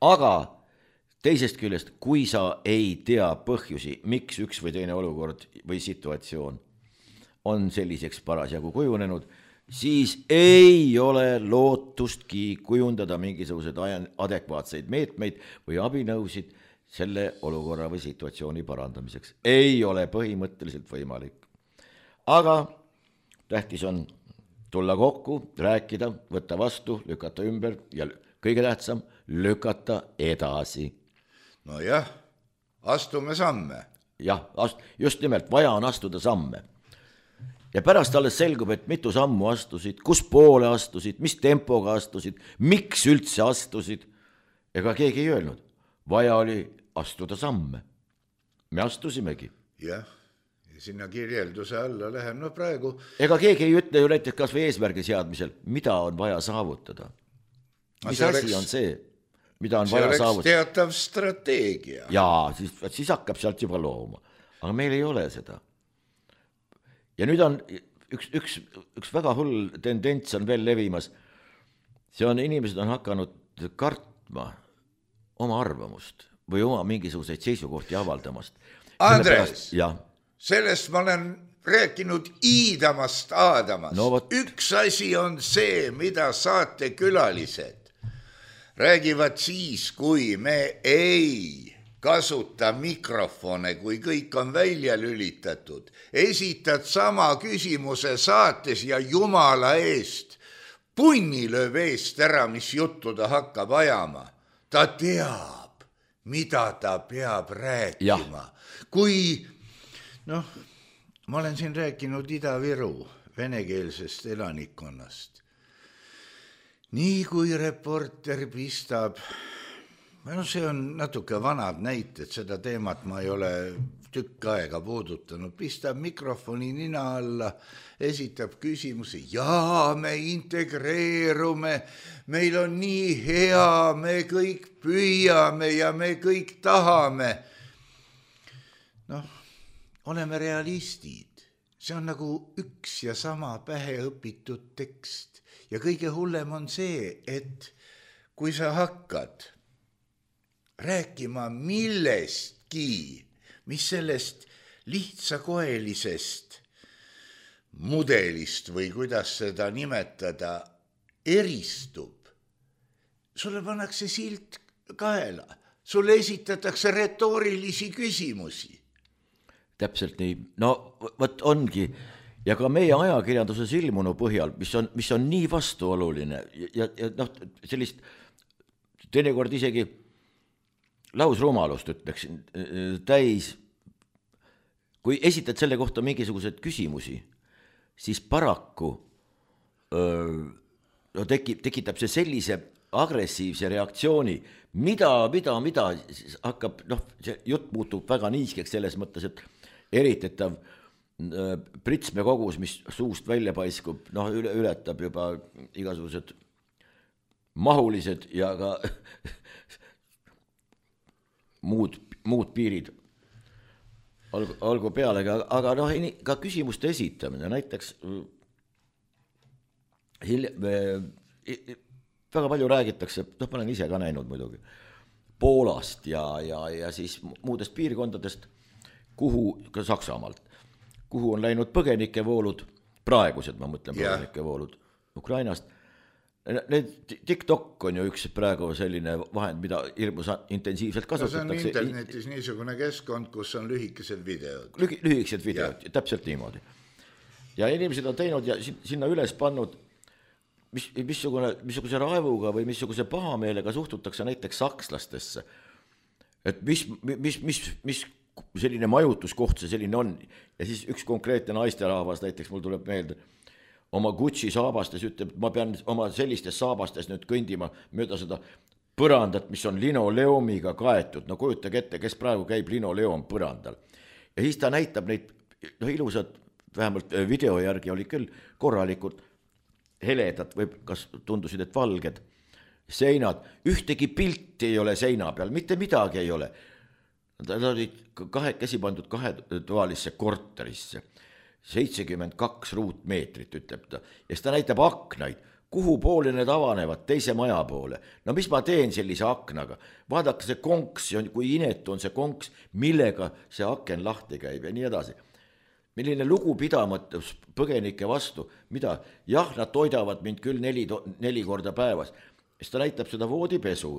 Aga teisest küljest, kui sa ei tea põhjusi, miks üks või teine olukord või situatsioon on selliseks parasjagu kujunenud, siis ei ole lootustki kujundada mingisuguseid adekvaatseid meetmeid või abinõusid selle olukorra või situatsiooni parandamiseks. Ei ole põhimõtteliselt võimalik. Aga tähtis on tulla kokku, rääkida, võtta vastu, lükata ümber ja kõige tähtsam, lükata edasi. No jah, astume samme. Jah, just nimelt, vaja on astuda samme. Ja pärast alles selgub, et mitu sammu astusid, kus poole astusid, mis tempoga astusid, miks üldse astusid. Ega keegi ei öelnud. Vaja oli astuda samme. Me astusimegi. Jah, ja sinna kirjelduse alla läheb. No praegu... Ega keegi ei ütle ju näiteks kas või eesmärgi seadmisel, mida on vaja saavutada. Mis asi oleks, on see, mida on see vaja saavutada? See oleks teatav strateegia. Jaa, siis, siis hakkab sealt juba looma. Aga meil ei ole seda. Ja nüüd on üks, üks, üks väga hull tendents on veel levimas. See on, inimesed on hakanud kartma oma arvamust või oma mingisuguseid seisukohti avaldamast. Andres, sellest ma olen rääkinud iidamast aadamast. No, võt... Üks asi on see, mida saatekülalised räägivad siis, kui me ei... kasuta mikrofone, kui kõik on välja lülitatud. Esitad sama küsimuse saates ja jumala eest. Punni lööb eest ära, mis juttu ta hakkab ajama. Ta teab, mida ta peab rääkima. Ja. Kui, noh, ma olen siin rääkinud Ida-Viru venekeelsest elanikkonnast. Nii kui reporter pistab... No see on natuke vanad näited, seda teemat ma ei ole tükk aega puudutanud. Pistab mikrofoni nina alla, esitab küsimusi. Jaa, me integreerume, meil on nii hea, me kõik püüame ja me kõik tahame. Noh, oleme realistid. See on nagu üks ja sama pähe õpitud tekst. Ja kõige hullem on see, et kui sa hakkad... rääkima millestki, mis sellest lihtsakoelisest mudelist või kuidas seda nimetada eristub. Sulle pannakse silt kaela, sulle esitatakse retoorilisi küsimusi. Täpselt nii, no võt ongi ja ka meie ajakirjanduses ilmunu põhjal, mis on, mis on nii vastuoluline ja, ja noh, sellist teinekord isegi lausrumalust ütleksin täis, kui esitad selle kohta mingisugused küsimusi, siis paraku öö, no tekib, tekitab see sellise agressiivse reaktsiooni, mida, mida, mida hakkab, noh, see jutt muutub väga niiskeks selles mõttes, et eritetav pritsme kogus, mis suust välja paiskub, noh, üle, ületab juba igasugused mahulised ja ka muud, muud piirid olgu, olgu pealegi, aga noh, ka küsimuste esitamine, näiteks hil, väga palju räägitakse, noh, ma olen ise ka näinud muidugi, Poolast ja, ja, ja siis muudest piirkondadest, kuhu, ka Saksamaalt, kuhu on läinud põgenikevoolud, praegused, ma mõtlen põgenikevoolud Ukrainast. Need TikTok on ju üks praegu selline vahend, mida hirmus intensiivselt kasutatakse. No see on internetis niisugune keskkond, kus on lühikesed videod. Lühi, lühikesed videod, ja. Täpselt niimoodi. Ja inimesed on teinud ja sinna üles pannud Mis, missugune, missuguse raevuga või missuguse pahameelega suhtutakse näiteks sakslastesse. Et mis, mis, mis, mis selline majutuskoht see selline on. Ja siis üks konkreetne naisterahvas, näiteks mul tuleb meelde, oma Gucci saabastes ütleb, et ma pean oma sellistes saabastes nüüd kõndima mööda seda põrandat, mis on linoleumiga kaetud. No kujutage ette, kes praegu käib linoleum põrandal. Ja siis ta näitab neid no, ilusad, vähemalt video järgi oli küll korralikult heledad või kas tundusid, et valged seinad, ühtegi pilti ei ole seina peal, mitte midagi ei ole. Nad olid kahekesi pandud kahetoalisse korterisse, seitsekümmend kaks ruutmeetrit, ütleb ta, ja ta näitab aknaid, kuhu poole need avanevad, teise maja poole. No mis ma teen sellise aknaga? Vaadake see konks, kui inetu on see konks, millega see aken lahti käib ja nii edasi. Milline lugupidamatus põgenike vastu, mida, jah, nad toidavad mind küll neli, neli korda päevas, siis ta näitab seda voodipesu.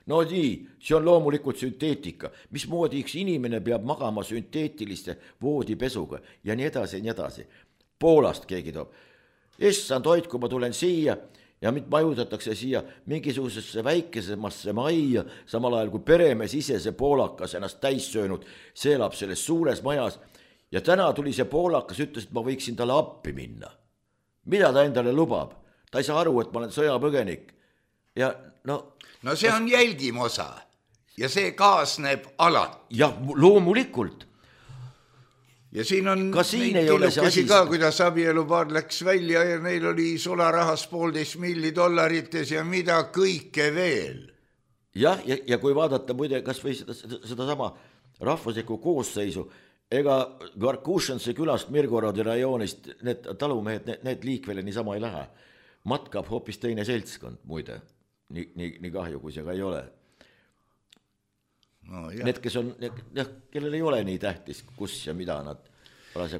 No nii, see on loomulikult sünteetika, mismoodi üks inimene peab magama sünteetiliste voodipesuga ja nii edasi ja nii edasi. Poolast keegi toob, issand hoid, kui ma tulen siia ja mind majutatakse siia mingisugusesse väikesemasse majja, samal ajal kui peremees ise see poolakas ennast täis söönud, see elab selles suures majas. Ja täna tuli see poolakas, ütles, et ma võiksin talle appi minna. Mida ta endale lubab? Ta ei saa aru, et ma olen sõjapõgenik. Ja no, no see on jälgimosa ja see kaasneb alati. Ja loomulikult. Ja siin on ka siin ei ole see asi. Ka, kuidas abielupaar läks välja ja neil oli solarahas poolteist milli dollarites ja mida kõike veel. Jah, ja, ja kui vaadata muide kas või seda, seda, seda sama rahvuslikku koosseisu, ega Garkušanse külast Mirgorodi rajoonist need talumehed, need, need liikvele niisama ei lähe. Matkab hoopis teine seltskond, muide. Nii, nii, nii kahju, kui see ka ei ole. No, need, kes on, jah, kellel ei ole nii tähtis, kus ja mida nad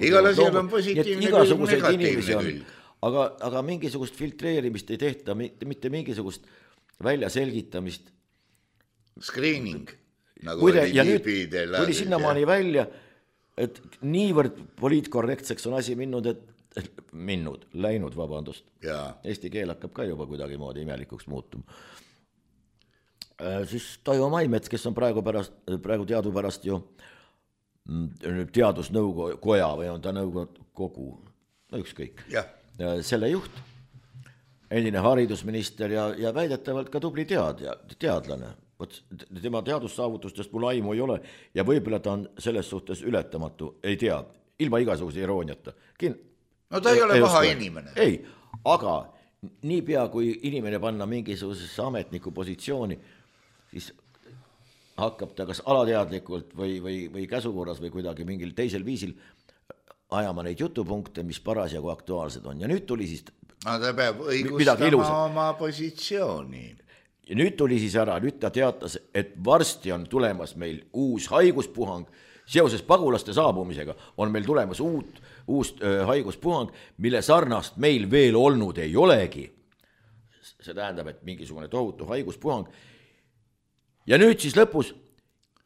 igal asjal on positiivne külg, negatiivne külg. Aga, aga mingisugust filtreerimist ei tehta, mitte, mitte mingisugust välja selgitamist. Screening. Nagu Kuide, ja nüüd tuli sinnamaani välja, et niivõrd poliitkorrektseks on asi minnud, et minnud, läinud, vabandust. Ja. Eesti keel hakkab ka juba kuidagi moodi imelikuks muutuma. Siis Toivo Maimets, kes on praegu, pärast, praegu teadupärast ju teadusnõukoja või on ta nõukogu, no ükskõik, ja. Selle juht, endine haridusminister ja, ja väidetavalt ka tubli teadja, teadlane. Tema teadussaavutustest mul aimu ei ole ja võib-olla ta on selles suhtes ületamatu, ei tea, ilma igasuguse irooniata. Kin... No ta ei ole paha inimene. Ei, aga niipea kui inimene panna mingisugusesse ametniku positsiooni, siis hakkab ta kas alateadlikult või, või, või käsukorras või kuidagi mingil teisel viisil ajama neid jutupunkte, mis parasjagu aktuaalsed on. Ja nüüd tuli siis... No ta peab õigustama oma positsiooni. Ja nüüd tuli siis ära, nüüd ta teatas, et varsti on tulemas meil uus haiguspuhang, seoses pagulaste saabumisega on meil tulemas uut, uus äh, haiguspuhang, mille sarnast meil veel olnud ei olegi. See tähendab, et mingisugune tohutu haiguspuhang. Ja nüüd siis lõpus,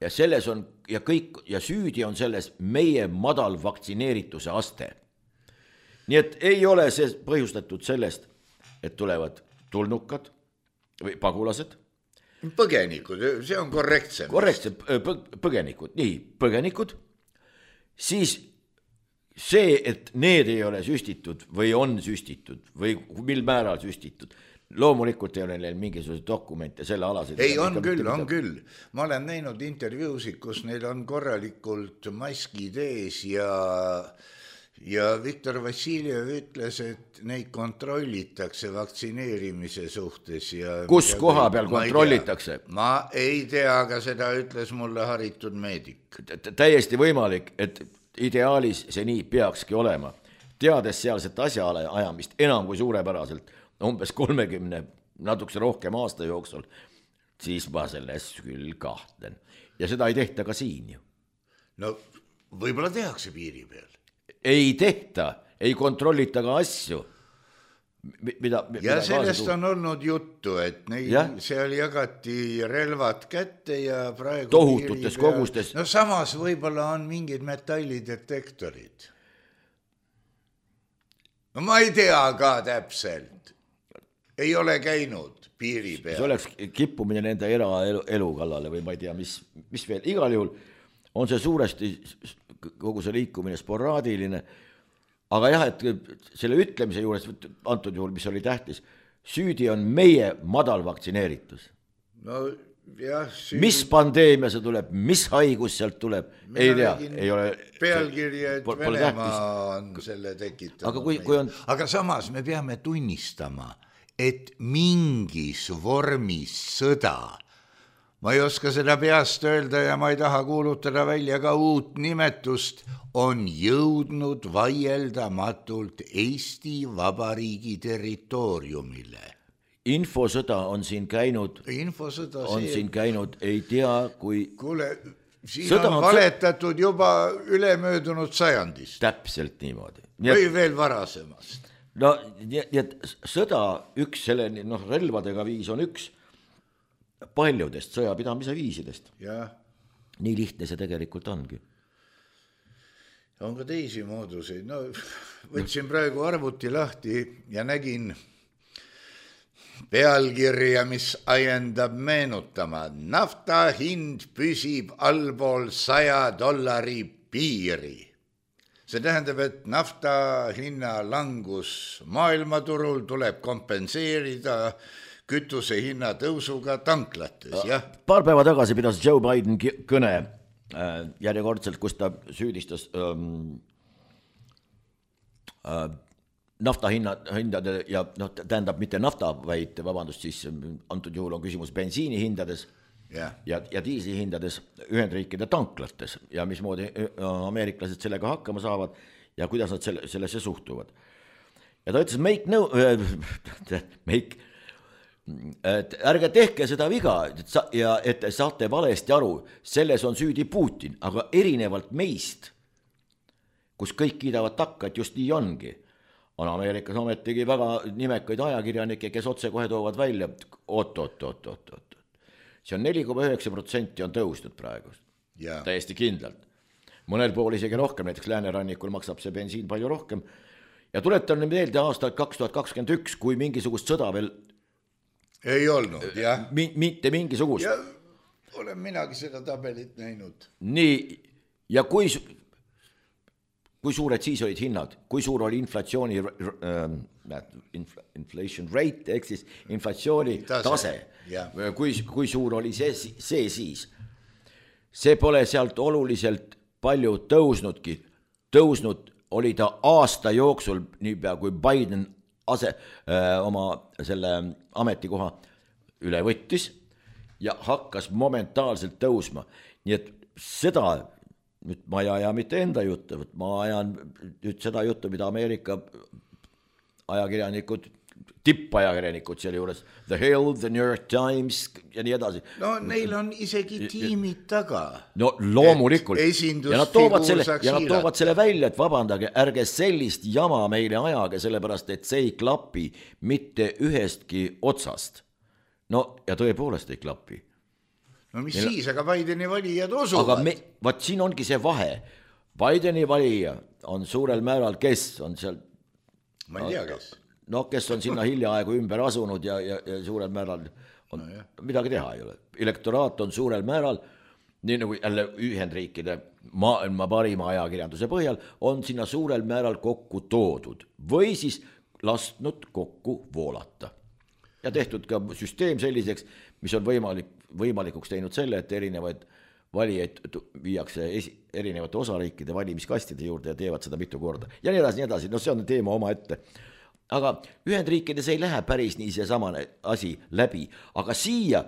ja selles on, ja kõik, ja süüdi on selles meie madal vaktsineerituse aste. Nii et ei ole see põhjustatud sellest, et tulevad tulnukad, või pagulased. Põgenikud, see on korrektsem. Korrektsem, põgenikud, nii, põgenikud. Siis see, et need ei ole süstitud või on süstitud või mil määral süstitud, loomulikult ei ole neil mingisuguse dokumente selle alaseid. Ei, on küll, on küll. Ma olen näinud intervjuusid, kus neil on korralikult maskid ees ja... ja Viktor Vassiljev ütles, et neid kontrollitakse vaktsineerimise suhtes. Ja kus koha peal kontrollitakse? Ma ei tea, aga seda ütles mulle haritud meedik. Täiesti võimalik, et ideaalis see nii peakski olema. Teades sealset asja ajamist enam kui suurepäraselt, umbes kolmekümne natukese rohkem aasta jooksul, siis ma selles küll kahtlen. Ja seda ei tehta ka siin ju. No võib-olla tehakse piiri peal. Ei tehta, ei kontrollita ka asju. Mida, ja mida sellest on olnud juttu, et neid, seal jagati relvad kätte ja praegu tohututes kogustes. No samas võib-olla on mingid metallidetektorid. No ma ei tea ka täpselt. Ei ole käinud piiri peal. See oleks kippumine nende eraelu elu kallale või ma ei tea, mis, mis veel. Igal juhul on see suuresti kogu see liikumine sporaadiline, aga jah, et selle ütlemise juures, antud juhul, mis oli tähtis, süüdi on meie madal vaktsineeritus. No jah, süüdi... Mis pandeemia see tuleb, mis haigus sealt tuleb, Mina ei tea, ei ole... Pealkirja, et Venemaa on selle tekitanud. Aga, kui, kui on... aga samas me peame tunnistama, et mingis vormis sõda, ma ei oska seda peast öelda ja ma ei taha kuulutada välja ka uut nimetust, on jõudnud vaieldamatult Eesti Vabariigi territooriumile. Infosõda on siin käinud, Infosõda on see... siin käinud, ei tea, kui... Kuule, siin sõda on valetatud on... juba ülemöödunud sajandist. Täpselt niimoodi. Või et... veel varasemast. No, nii et sõda üks selle no, relvadega viis on üks paljudest sõjapidamise viisidest. Ja. Nii lihtne see tegelikult ongi. On ka teisi mooduseid. No, võtsin praegu arvuti lahti ja nägin pealkirja, mis ajendab meenutama. Nafta hind püsib allpool saja dollari piiri. See tähendab, et nafta hinna langus maailmaturul tuleb kompenseerida kütuse hinna tõusuga tanklates, jah? Paar päeva tagasi pidas Joe Biden kõne äh, järjekordselt, kus ta süüdistas ähm, äh, nafta hinna, hindade ja no, tähendab mitte nafta, vaid vabandust, siis antud juhul on küsimus bensiini hindades yeah. ja, ja diisli hindades Ühendriikide tanklates ja mismoodi ameeriklased sellega hakkama saavad ja kuidas nad selle, sellesse suhtuvad. Ja ta ütles, make no, äh, make et ärge tehke seda viga ja et saate valesti aru, selles on süüdi Putin, aga erinevalt meist, kus kõik kiidavad takka, et just nii ongi, on Ameerikas ometigi väga nimekaid ajakirjanikke, kes otse kohe toovad välja, oot, oot, oot, oot, oot. See on neli koma üheksa protsenti on tõusnud praegu, yeah. Täiesti kindlalt. Mõnel pool isegi rohkem, näiteks läänerannikul maksab see bensiin palju rohkem ja tuletan meelde aastal kaks tuhat kakskümmend üks, kui mingisugust sõda veel ei olnud, jah. Mi, mitte mingisugust. Ja olen minagi seda tabelit näinud. Nii, ja kui, kui suured siis olid hinnad, kui suur oli inflatsiooni äh, inflation rate, ehk siis inflatsiooni tase, tase. Kui, kui suur oli see, see siis. See pole sealt oluliselt palju tõusnudki. Tõusnud oli ta aasta jooksul, niipea kui Biden ase, öö, oma selle ametikoha üle võttis ja hakkas momentaalselt tõusma. Nii et seda, nüüd ma ei aja mitte enda juttu, ma ajan nüüd seda juttu, mida Ameerika ajakirjanikud, tippajakirjanikud selle juures, The Hill, The New York Times ja nii edasi. No neil on isegi tiimid taga. No loomulikult. Ja nad toovad selle, ja nad toovad selle välja, et vabandage, ärge sellist jama meile ajage, sellepärast, et see ei klapi mitte ühestki otsast. No ja tõepoolest ei klapi. No mis Meil... siis, aga Bideni valijad usuvad. Aga me, vaat siin ongi see vahe. Bideni valija on suurel määral, kes on seal... Ma ei tea, kes... No, kes on sinna hiljaaegu ümber asunud ja, ja, ja suurel määral on no, midagi teha ei ole. Elektoraat on suurel määral, nii nagu jälle Ühendriikide maailma parima ajakirjanduse põhjal, on sinna suurel määral kokku toodud või siis lastnud kokku voolata. Ja tehtud ka süsteem selliseks, mis on võimalik, võimalikuks teinud selle, et erinevaid valijaid viiakse esi, erinevate osariikide valimiskastide juurde ja teevad seda mitu korda. Ja nii edasi, nii edasi, no see on teema oma ette. Aga Ühendriikides ei lähe päris nii see samane asi läbi, aga siia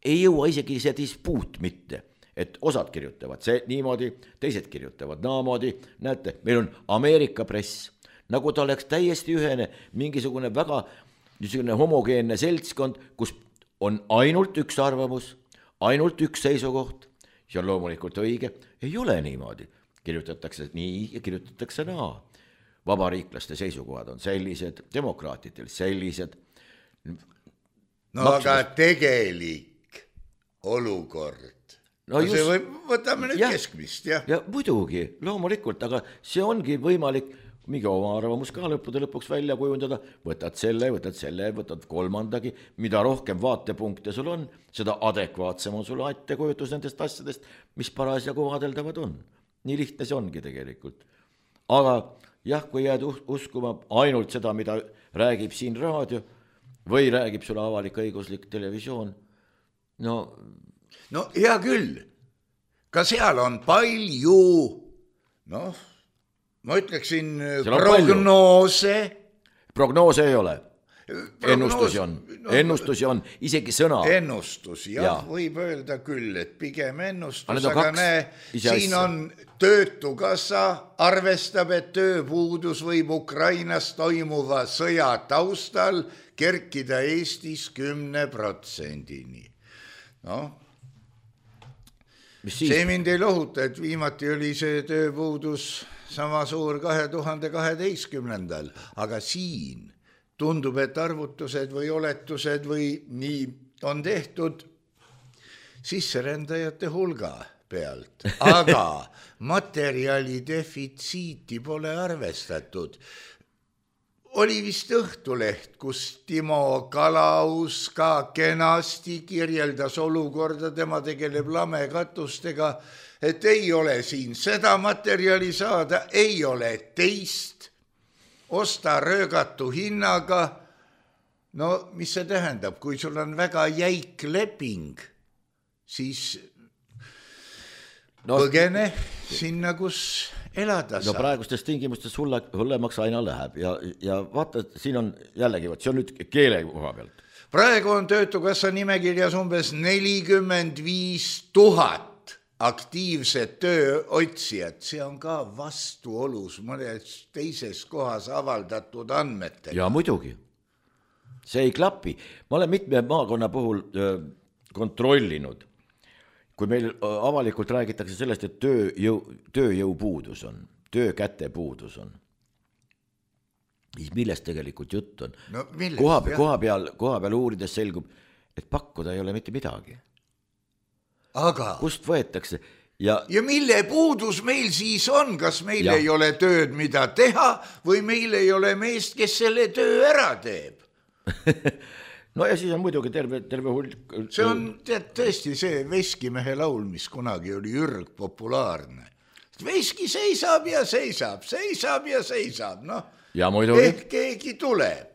ei jõua isegi see dispuut mitte, et osad kirjutavad see niimoodi, teised kirjutavad naamoodi, näete, meil on Ameerika press, nagu ta oleks täiesti ühene mingisugune väga niisugune homogeenne seltskond, kus on ainult üks arvamus, ainult üks seisukoht, see on loomulikult õige, ei ole niimoodi, kirjutatakse nii ja kirjutatakse naa. Vabariiklaste seisukohad on sellised, demokraatidel sellised. No Maksumus... aga tegelik olukord. No just... või, võtame nüüd ja, keskmist, jah? Ja muidugi, loomulikult, aga see ongi võimalik mingi oma arvamus ka lõppude lõpuks välja kujundada, võtad selle, võtad selle, võtad kolmandagi, mida rohkem vaatepunkte sul on, seda adekvaatsem on sul ettekujutus nendest asjadest, mis parasjagu vaadeldavad on. Nii lihtne see ongi tegelikult. Aga jah, kui jääd uskuma ainult seda, mida räägib siin raadio või räägib sulle avalik õiguslik televisioon, no... No hea küll, ka seal on palju, noh, ma ütleksin prognoose. Prognoose ei ole. Ennustusi on, no, ennustusi on, isegi sõna. Ennustus, jah, ja. Võib öelda küll, et pigem ennustus, aga, aga näe, siin on töötukassa arvestab, et tööpuudus võib Ukrainas toimuva sõja taustal kerkida Eestis kümne protsendini. No, see mind ei lohuta, et viimati oli see tööpuudus sama suur kahe tuhande kaheteistkümnendal, aga siin tundub, et arvutused või oletused või nii on tehtud sisserändajate hulga pealt, aga materjali defitsiiti pole arvestatud. Oli vist Õhtuleht, kus Timo Kalaus ka kenasti kirjeldas olukorda, tema tegeleb lamekatustega, et ei ole siin seda materjali saada, ei ole teist, osta röögatu hinnaga. No mis see tähendab, kui sul on väga jäik leping, siis no, põgene sinna, kus elada saab. No praegustes tingimustes hulle, hullemaks aina läheb ja, ja vaata, siin on jällegi, see on nüüd keele koha pealt. Praegu on töötukassa nimekirjas umbes nelikümmend viis tuhat aktiivset tööotsijat, see on ka vastuolus mõnes teises kohas avaldatud andmetega. Ja muidugi, see ei klapi. Ma olen mitme maakonna puhul öö, kontrollinud, kui meil avalikult räägitakse sellest, et tööjõu, tööjõu puudus on, töökäte puudus on, siis millest tegelikult jutt on? No, millest, koha, koha, peal, koha peal uurides selgub, et pakkuda ei ole mitte midagi. Aga... Kust võetakse? Ja... ja mille puudus meil siis on? Kas meil ja. Ei ole tööd, mida teha, või meil ei ole meest, kes selle töö ära teeb? No ja siis on muidugi terve, terve hulk. See on tead, tõesti see Veskimehe laul, mis kunagi oli ürg populaarne. Veski seisab ja seisab, seisab ja seisab, noh. Ja muidugi. Ehk keegi tuleb.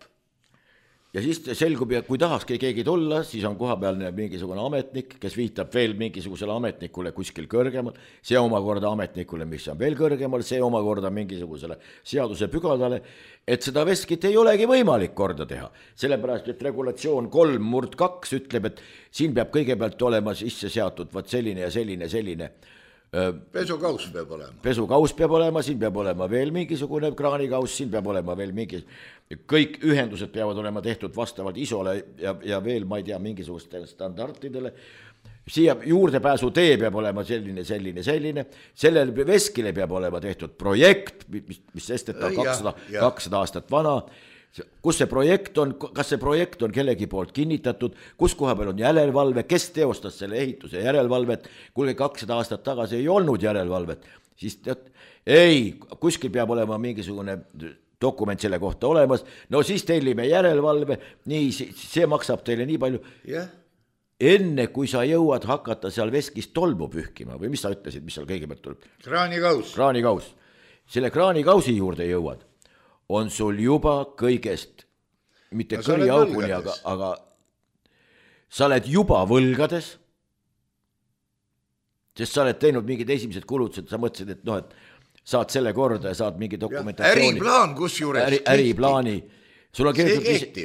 Ja siis selgub, ja kui tahakski keegi tulla, siis on kohapealne mingisugune ametnik, kes viitab veel mingisugusele ametnikule kuskil kõrgemal, see omakorda ametnikule, mis on veel kõrgemal, see omakorda mingisugusele seaduse pügadale, et seda veskit ei olegi võimalik korda teha. Sellepärast, et regulatsioon kolm murd kaks ütleb, et siin peab kõigepealt olema sisse seatud vaat selline ja selline, selline. Pesukaus peab olema. Pesukaus peab olema, siin peab olema veel mingisugune kraanikaus, siin peab olema veel mingi, kõik ühendused peavad olema tehtud vastavalt isole ja, ja veel, ma ei tea, mingisugustele standardidele. Siia juurdepääsu tee peab olema selline, selline, selline. Sellele veskile peab olema tehtud projekt, mis, mis sesteta kakssada, kakssada aastat vana. Kus see projekt on, kas see projekt on kellegi poolt kinnitatud, kus koha peal on järelevalve, kes teostas selle ehituse järelevalvet, kuulge kakssada aastat tagasi ei olnud järelevalvet, siis tead, ei, kuskil peab olema mingisugune dokument selle kohta olemas, no siis tellime järelevalve, nii, see maksab teile nii palju. Yeah. Enne kui sa jõuad hakata seal veskis tolmu pühkima, või mis sa ütlesid, mis seal kõigepealt tuleb? Kraanikaus. Kraanikaus. Selle kraanikausi juurde jõuad, on sul juba kõigest, mitte no, kõriauguni, aga, aga sa oled juba võlgades, sest sa oled teinud mingid esimesed kulutused, sa mõtlesid, et noh, et saad selle korda ja saad mingi dokumentatsiooni. Äriplaan kusjuures. Äri, äriplaani. Sul on,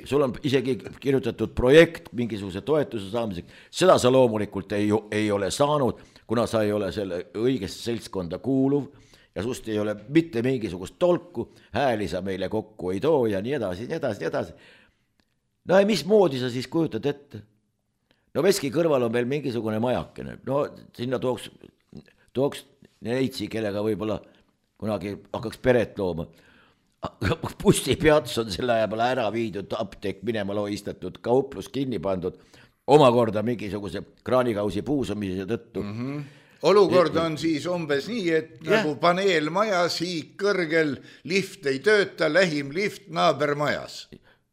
sul on isegi kirjutatud projekt mingisuguse toetuse saamiseks. Seda sa loomulikult ei, ei ole saanud, kuna sa ei ole selle õigest seltskonda kuuluv ja sust ei ole mitte mingisugust tolku, hääli sa meile kokku ei too ja nii edasi, nii edasi, nii edasi. No ja mis moodi sa siis kujutad ette? No Veski kõrval on veel mingisugune majakene. No sinna tooks, tooks neitsi, kellega võib-olla kunagi hakkaks peret looma. Bussipeats on selle aja peale ära viidud, apteek minema loistatud, kauplus kinni pandud, omakorda mingisuguse kraanikausi puusumise tõttu. Mm-hmm. Olukord on siis umbes nii, et ja. Nagu paneel majas, hiik kõrgel, lift ei tööta, lähim lift naaber majas.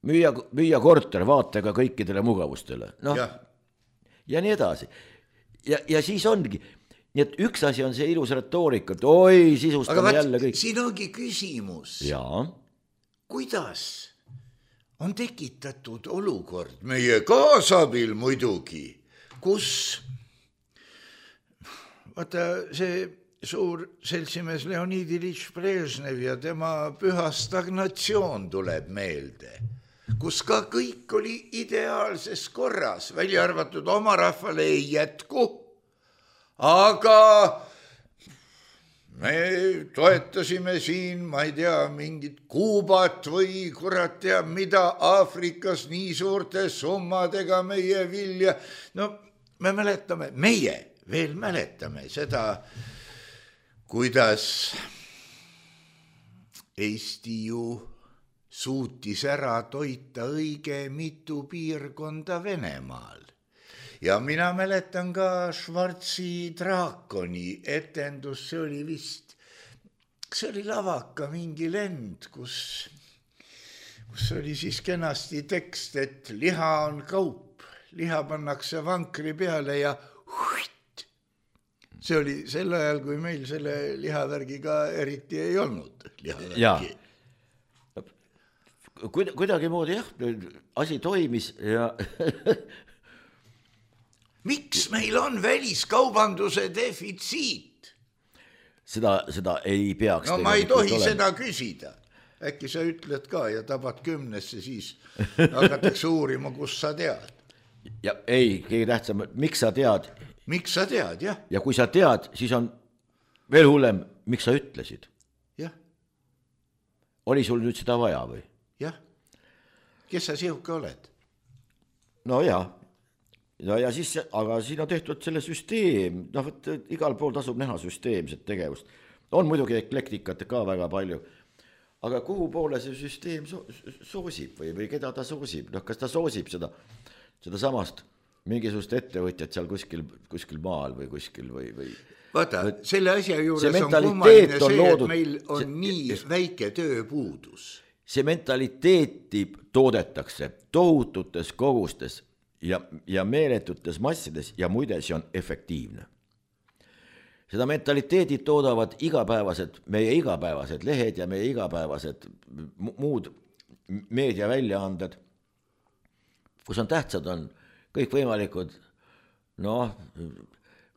Müüa, müüa korter vaatega kõikidele mugavustele. No, ja. ja nii edasi. Ja, ja siis ongi, nii et üks asi on see ilus retoorika, et oi, sisustame vaat, jälle kõik. Siin ongi küsimus, ja. Kuidas on tekitatud olukord meie kaasabil muidugi, kus vaata see suur seltsimees Leonid Iljitš Brežnev ja tema püha stagnatsioon tuleb meelde, kus ka kõik oli ideaalses korras, välja arvatud oma rahvale ei jätku, aga me toetasime siin, ma ei tea, mingit Kuubat või kurat tea, mida Aafrikas nii suurte summadega meie vilja. No me mäletame, meie veel mäletame seda, kuidas Eesti ju suutis ära toita õige mitu piirkonda Venemaal. Ja mina mäletan ka Schwarzi draakoni etendus, see oli vist, see oli lavaka mingi lend, kus, kus oli siis kenasti tekst, et liha on kaup, liha pannakse vankri peale ja huit. See oli sel ajal, kui meil selle lihavärgiga eriti ei olnud. Lihavärgi. Kuidagi moodi jah, asi toimis ja miks meil on väliskaubanduse defitsiit? Seda, seda ei peaks. No ma ei tohi olema. Seda küsida. Äkki sa ütled ka ja tabad kümnesse, siis hakatakse uurima, kus sa tead. Ja ei, keegi tähtsam, miks sa tead? Miks sa tead, jah. Ja kui sa tead, siis on veel hullem, miks sa ütlesid? Jah. Oli sul nüüd seda vaja või? Jah. Kes sa sihuke oled? No jah. Ja, ja siis, aga siin on tehtud selle süsteem, noh, võt, igal pool tasub näha süsteemset tegevust. On muidugi eklektikat ka väga palju, aga kuhu poole see süsteem so, soosib või, või keda ta soosib? Noh, kas ta soosib seda, seda samast mingisugust ettevõtjat seal kuskil, kuskil maal või kuskil või... või Vaata, selle asja juures on kummaline see, loodud, et meil on see, nii väike tööpuudus. See mentaliteeti toodetakse tohututes kogustes ja, ja meeletutes massides ja muide see on efektiivne. Seda mentaliteedid toodavad igapäevased, meie igapäevased lehed ja meie igapäevased muud meediaväljaanded, kus on tähtsad on kõik võimalikud noh,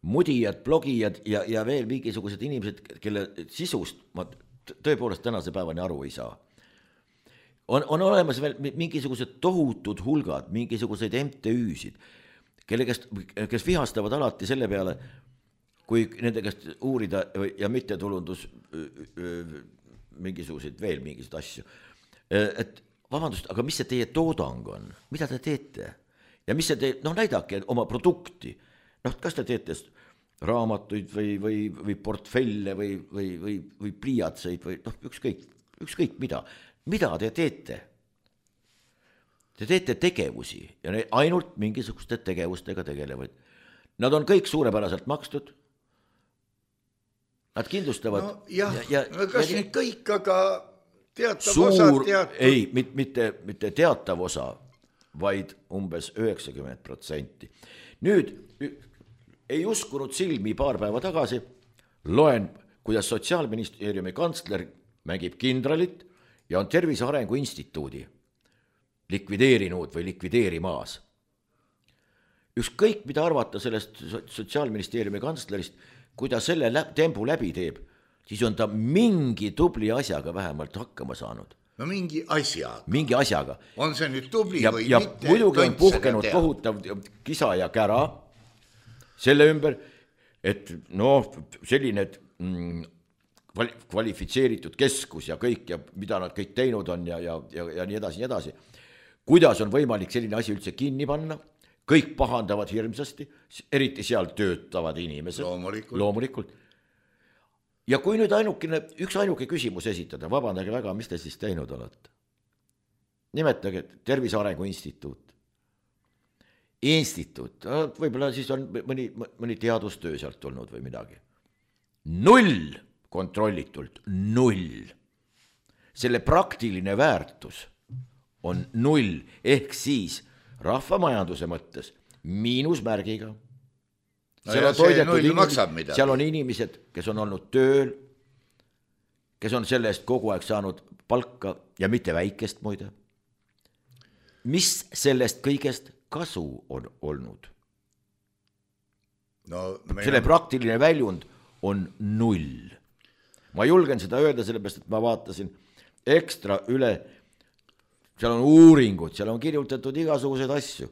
mudijad, blogijad ja, ja veel mingisugused inimesed, kelle sisust ma tõepoolest tänase päevani aru ei saa. On, on olemas veel mingisugused tohutud hulgad, mingisuguseid M T Üsid, kelle kes, kes vihastavad alati selle peale, kui nende käest uurida ja mittetulundus mingisuguseid veel mingisuguseid asju. Et vabandust, aga mis see teie toodang on? Mida te teete? Ja mis see te, noh näidake oma produkti. Noh, kas te teete raamatuid või, või, või portfelle või, või, või, või pliiatseid või noh, ükskõik, ükskõik mida. Mida te teete? Te teete tegevusi ja ne ainult mingisuguste tegevustega tegelevad. Nad on kõik suurepäraselt makstud. Nad kindlustavad. No, jah, ja, ja, kas ja, nüüd kõik, aga teatav suur, osa teatud... Ei, mitte, mitte teatav osa, vaid umbes üheksakümmend protsenti. Nüüd ei uskunud silmi paar päeva tagasi, loen, kuidas Sotsiaalministeeriumi kantsler mängib kindralit ja on Tervise Arengu Instituudi likvideerinud või likvideerimaas. ükskõik mida arvata sellest Sotsiaalministeeriumi kantslerist, kui ta selle tembu läbi teeb, siis on ta mingi tubli asjaga vähemalt hakkama saanud. No mingi asjaga. Mingi asjaga. On see nüüd tubli ja, või ja mitte? Ja muidugi on puhkenud kohutav kisa ja kära selle ümber, et noh, selline mm, kvalifitseeritud keskus ja kõik ja mida nad kõik teinud on ja, ja, ja, ja nii edasi, nii edasi. Kuidas on võimalik selline asi üldse kinni panna? Kõik pahandavad hirmsasti, eriti seal töötavad inimesed. Loomulikult. Loomulikult. Ja kui nüüd ainukene, üks ainuke küsimus esitada, vabandage väga, mis te siis teinud olete? Nimetage Tervise Arengu Instituut. Instituut, võib-olla siis on mõni, mõni teadustöö sealt tulnud või midagi. Null kontrollitult, null. Selle praktiline väärtus on null, ehk siis rahvamajanduse mõttes miinusmärgiga. No ja see null maksab midagi. Seal on inimesed, kes on olnud tööl, kes on selle eest kogu aeg saanud palka ja mitte väikest muide. Mis sellest kõigest kasu on olnud? No, selle on... praktiline väljund on null. Ma julgen seda öelda, sellepärast, et ma vaatasin ekstra üle, seal on uuringud, seal on kirjutatud igasuguseid asju.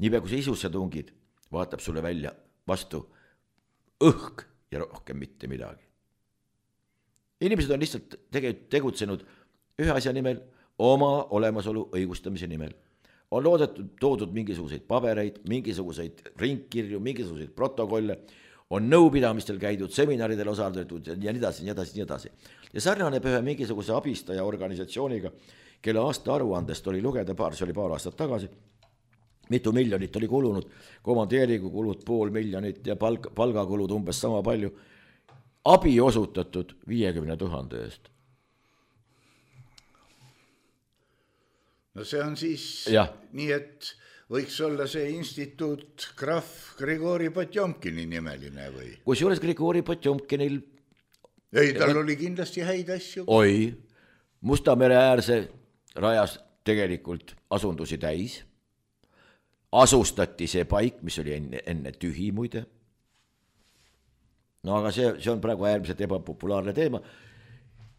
Niipea kui sa isusse tungid, vaatab sulle välja vastu õhk ja rohkem mitte midagi. Inimesed on lihtsalt tegutsenud ühe asja nimel, oma olemasolu õigustamise nimel. On loodetud, toodud mingisuguseid pabereid, mingisuguseid ringkirju, mingisuguseid protokolle, on nõupidamistel käidud, seminaridel osaldatud ja nii edasi, nii edasi, nii edasi. Ja sarnaneb ühe mingisuguse abistaja organisatsiooniga, kelle aasta aruandest oli lugeda paar, see oli paar aastat tagasi, mitu miljonit oli kulunud, komandeeringu kulud pool miljonit ja palk, palgakulud umbes sama palju, abi osutatud viiekümne tuhande eest. No see on siis ja. Nii, et võiks olla see instituut Graf Grigori Potjomkini nimeline või? Kusjuures Grigori Potjomkinil ei, tal oli kindlasti häid asju. Oi, Musta mere äärse rajas tegelikult asundusi täis. Asustati see paik, mis oli enne, enne tühi muide. No aga see, see on praegu äärmiselt ebapopulaarne teema.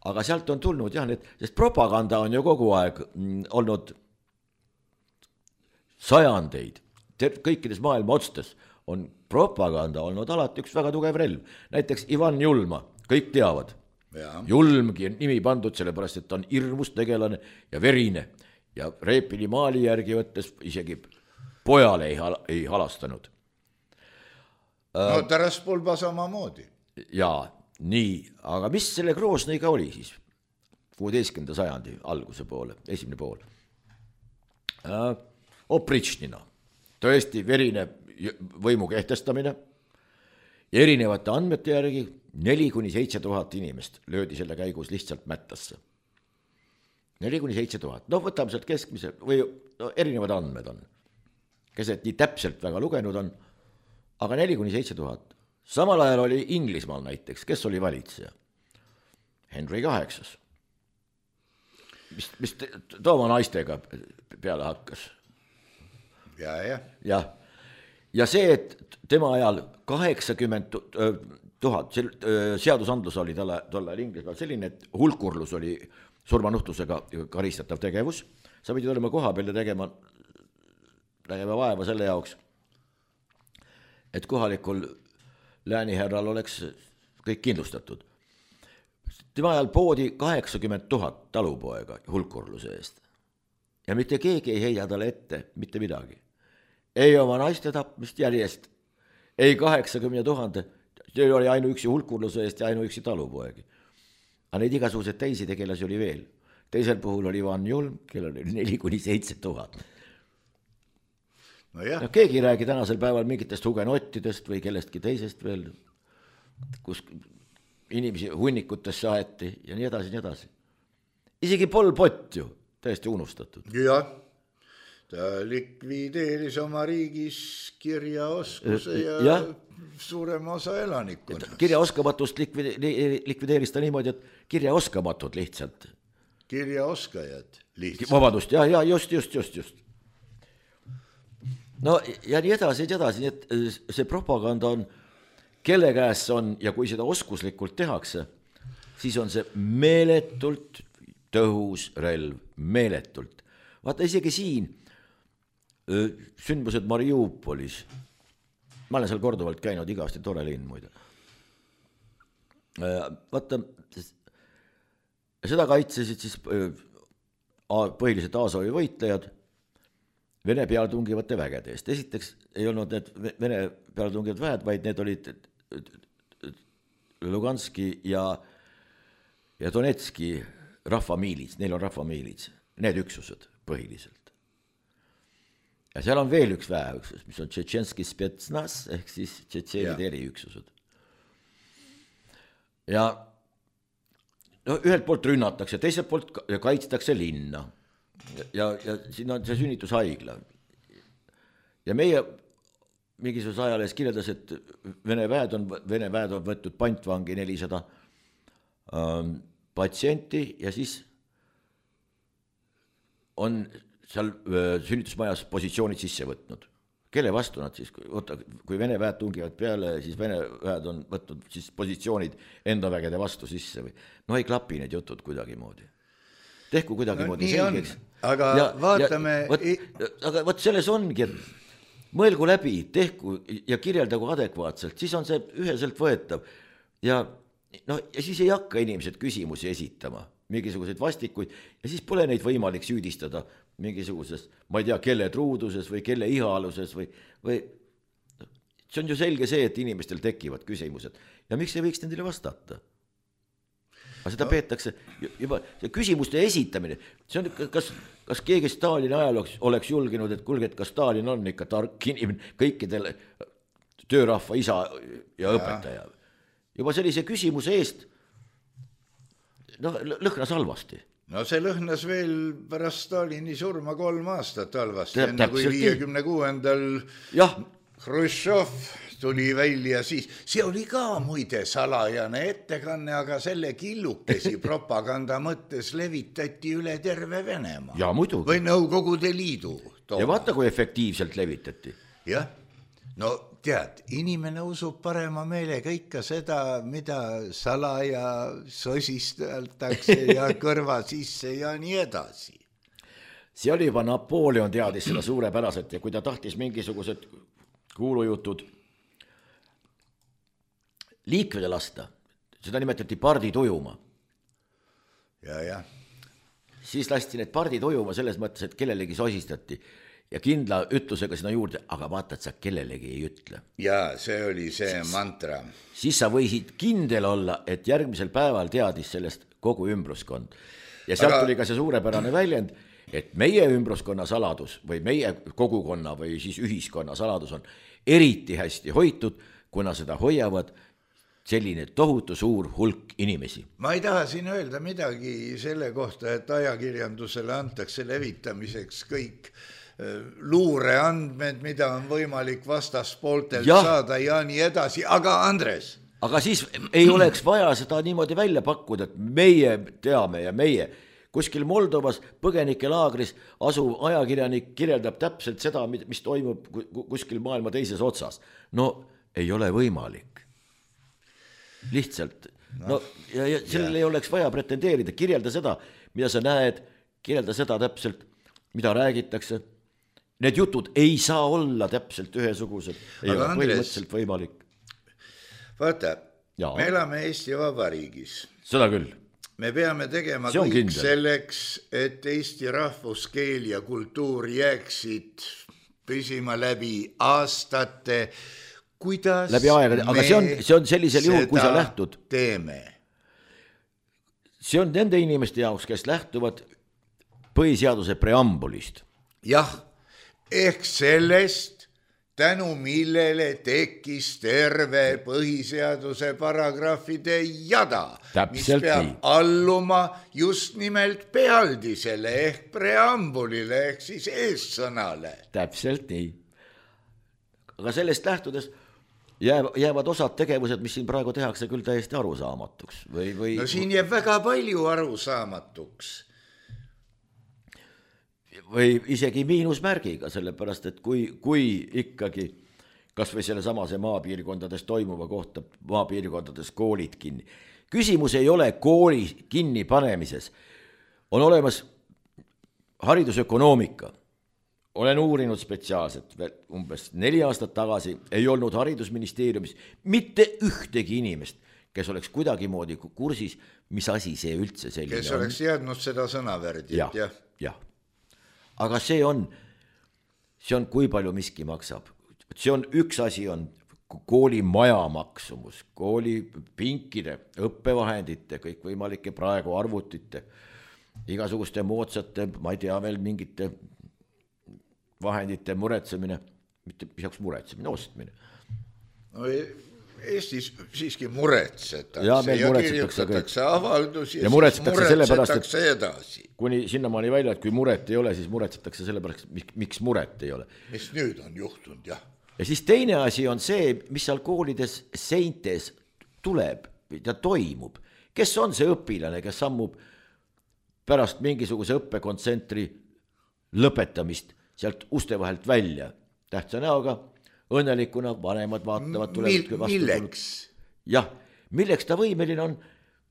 Aga sealt on tulnud jah, need, sest propaganda on ju kogu aeg mm, olnud sajandeid. Kõikides maailma otstes on propaganda olnud alati üks väga tugev relv. Näiteks Ivan Julma, kõik teavad. Ja. Julmgi on nimi pandud sellepärast, et ta on hirmus tegelane ja verine. Ja Reepili maali järgi võttes isegi pojale ei, hal- ei halastanud. No Taraspolba sama moodi. Jaa, nii, aga mis selle Groznõiga oli siis? kuueteistkümnenda sajandi alguse poole, esimene pool. Äh, Opričnina, tõesti verine võimu kehtestamine ja erinevate andmete järgi neli kuni seitse tuhat inimest löödi selle käigus lihtsalt mättasse. neli kuni seitse tuhat, no võtame sealt keskmise või no, erinevad andmed on, kes et nii täpselt väga lugenud on, aga neli kuni seitse tuhat. Samal ajal oli Inglismaal näiteks, kes oli valitseja? Henry kaheksas. Mis, mis tooma naistega peale hakkas? Ja, ja. Ja, ja see, et tema ajal kaheksakümmend tuhat, seadusandlus oli tolle, tolle Inglismaal selline, et hulkurlus oli surmanuhtusega karistatav tegevus. Sa pidid olema koha peal ja tegema, tegema vaeva selle jaoks, et kohalikul lääniherral oleks kõik kindlustatud. Tema ajal poodi kaheksakümmend tuhat talupoega hulkurluse eest. Ja mitte keegi ei heida talle ette, mitte midagi. Ei oma naiste tapmist järjest, ei kaheksakümmend tuhande, see oli ainuüksi hulkurluse eest ja ainuüksi talupoegi. Aga neid igasuguseid teisi tegelasi oli veel. Teisel puhul oli Ivan Julm, kellel oli neli kuni seitse tuhat. No jah. No, keegi ei räägi tänasel päeval mingitest hugenottidest või kellestki teisest veel, kus inimesi hunnikutesse aeti ja nii edasi, nii edasi. Isegi Pol Pot ju täiesti unustatud. Jah, ta likvideeris oma riigis kirjaoskuse ja, ja suurema osa elanikkonnast. Kirjaoskamatust likvideeris ta niimoodi, et kirjaoskamatud lihtsalt. Kirjaoskajad lihtsalt. Vabandust, ja, ja just, just, just, just. no ja nii edasi, nii edasi, nii et see propaganda on, kelle käes on ja kui seda oskuslikult tehakse, siis on see meeletult tõhus relv, meeletult. Vaata isegi siin sündmused Mariupolis, ma olen seal korduvalt käinud, igavasti tore linn muide. Vaata, seda kaitsesid siis põhiliselt Azovi võitlejad Vene pealetungivate vägede eest. Esiteks ei olnud need Vene pealetungivad väed, vaid need olid Luganski ja, ja Donetski rahvamiilits, neil on rahvamiilits, need üksused põhiliselt. Ja seal on veel üks väeüksus, mis on Tšetšenski spetsnas, ehk siis tšetšeenide eriüksused. Ja no, ühelt poolt rünnatakse, teiselt poolt kaitstakse linna. Ja, ja siin on see sünnitushaigla. Ja meie mingisuguse ajalehes kirjeldas, et Vene väed on, Vene väed on võtnud pantvangi nelisada ähm, patsienti ja siis on seal äh, sünnitusmajas positsioonid sisse võtnud. Kelle vastu nad siis, oota, kui Vene väed tungivad peale, siis Vene väed on võtnud siis positsioonid enda vägede vastu sisse või no ei klapi need jutud kuidagi moodi. Tehku kuidagi no, moodi selgeks. Aga ja, vaatame... Ja, võt, aga võt selles ongi, et mõelgu läbi, tehku ja kirjeldagu adekvaatselt, siis on see üheselt võetav. Ja, no, ja siis ei hakka inimesed küsimusi esitama, mingisuguseid vastikuid, ja siis pole neid võimalik süüdistada mingisuguses, ma ei tea, kelle truuduses või kelle ihaaluses või, või see on ju selge see, et inimestel tekivad küsimused. Ja miks ei võiks nendele vastata? Aga seda no. peetakse juba, see küsimuste esitamine, see on, kas, kas keegi Stalini ajal oleks, oleks julginud, et kulge, et kas Stalin on ikka tark inimene, kõikidele töörahva isa ja, ja õpetaja. Juba sellise küsimuse eest no, lõhnas halvasti. No see lõhnas veel pärast Stalini surma kolm aastat halvasti, enne kui viiekümne kuuendal Hruštšov tuli välja, siis see oli ka muide salajane ettekanne, aga selle killukesi propaganda mõttes levitati üle terve Venemaa. Ja muidugi. Või Nõukogude Liidu. Tooma. Ja vaata, kui efektiivselt levitati. Jah, no tead, inimene usub parema meelega ikka seda, mida salaja sosisteltakse ja kõrva sisse ja nii edasi. See oli juba Napoleon teadis seda suurepäraselt ja kui ta tahtis mingisugused kuulujutud liikvede lasta, seda nimetati pardi tujuma. Ja, ja. Siis lasti need pardi tujuma selles mõttes, et kellelegi sosistati ja kindla ütlusega sinna juurde, aga vaata, et sa kellelegi ei ütle. Ja, see oli see siis, mantra. Siis sa võisid kindel olla, et järgmisel päeval teadis sellest kogu ümbruskond. Ja sealt aga... tuli ka see suurepärane väljend, et meie ümbruskonna saladus või meie kogukonna või siis ühiskonna saladus on eriti hästi hoitud, kuna seda hoiavad selline tohutu suur hulk inimesi. Ma ei taha siin öelda midagi selle kohta, et ajakirjandusele antakse levitamiseks kõik luureandmed, mida on võimalik vastaspooltelt ja. saada ja nii edasi, aga Andres. Aga siis ei oleks vaja seda niimoodi välja pakkuda, et meie teame ja meie kuskil Moldovas põgenikelaagris asuv ajakirjanik kirjeldab täpselt seda, mis toimub kuskil maailma teises otsas. No ei ole võimalik. Lihtsalt. No, ja, ja sellele ei oleks vaja pretendeerida, kirjelda seda, mida sa näed, kirjelda seda täpselt, mida räägitakse. Need jutud ei saa olla täpselt ühesugused, ei ole põhimõtteliselt võimalik. Vaata, ja. me elame Eesti Vabariigis. Seda küll. Me peame tegema kõik kindel. Selleks, et Eesti rahvuskeel ja kultuur jääksid püsima läbi aastate. Kuidas läbi aega, aga see on, see on sellisel juhul, kui sa lähtud. Teeme. See on nende inimeste jaoks, kes lähtuvad põhiseaduse preambulist. Jah, ehk sellest, tänu millele tekkis terve põhiseaduse paragrahvide jada, täpselt mis peab nii. Alluma just nimelt pealdisele ehk preambulile ehk siis eessõnale. Täpselt nii. Aga sellest lähtudes jäävad osad tegevused, mis siin praegu tehakse küll täiesti arusaamatuks. Või, või... No siin jääb väga palju arusaamatuks. või isegi miinusmärgiga, sellepärast, et kui, kui ikkagi kas või selle samase maapiirkondades toimuva kohta, maapiirkondades koolid kinni. Küsimus ei ole kooli kinni panemises. On olemas haridusökonoomika. Olen uurinud spetsiaalselt, umbes neli aastat tagasi ei olnud haridusministeeriumis mitte ühtegi inimest, kes oleks kuidagi moodi kursis, mis asi see üldse selline on. Kes oleks jäädnud seda sõnavärdit, jah. jah. jah. Aga see on, see on, kui palju miski maksab. See on üks asi on kooli maja maksumus, kooli pinkide, õppevahendite, kõik võimalike praegu arvutite, igasuguste moodsate, ma ei tea veel mingite vahendite muretsemine, mitte pisaks muretsemine, ostmine. No Eestis siiski muretsetakse ja, ja kirjutatakse avaldusi ja, ja muretsetakse, muretsetakse edasi. Kuni sinnamaani välja, et kui muret ei ole, siis muretsetakse sellepärast, miks muret ei ole. Mis nüüd on juhtunud, jah. Ja siis teine asi on see, mis seal koolides seintes tuleb ja toimub. Kes on see õpilane, kes sammub pärast mingisuguse õppekontsentri lõpetamist sealt uste vahelt välja? Tähtsa näoga, õnnelikuna, vanemad vaatavad, tulevad vastu. Milleks? Jah, milleks ta võimeline on,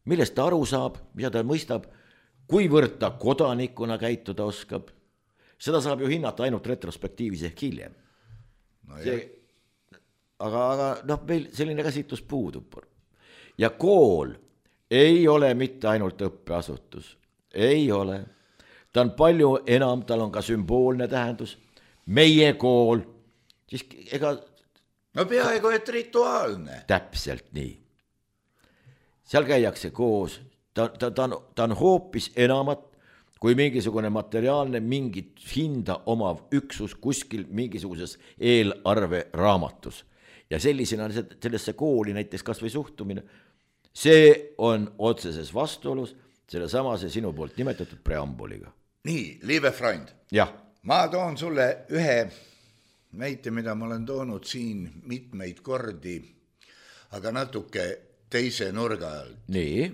millest ta aru saab, mida ta mõistab, kuivõrd ta kodanikuna käituda oskab. Seda saab ju hinnata ainult retrospektiivis ehk hiljem. No see, aga, aga noh, meil selline käsitlus puudub. Ja kool ei ole mitte ainult õppeasutus. Ei ole. Ta on palju enam, tal on ka sümboolne tähendus. Meie kool, siis ega... No peaaegu et rituaalne. Täpselt nii. Seal käiakse koos. Ta, ta, ta, on, ta on hoopis enamat kui mingisugune materiaalne, mingit hinda omav üksus kuskil mingisuguses eelarve raamatus. Ja sellisena sellesse kooli näiteks kas või suhtumine, see on otseses vastuolus selle samase sinu poolt nimetatud preambuliga. Nii, liebe Freund, jah. Ma toon sulle ühe näite, mida ma olen toonud siin mitmeid kordi, aga natuke teise nurga all. Nii.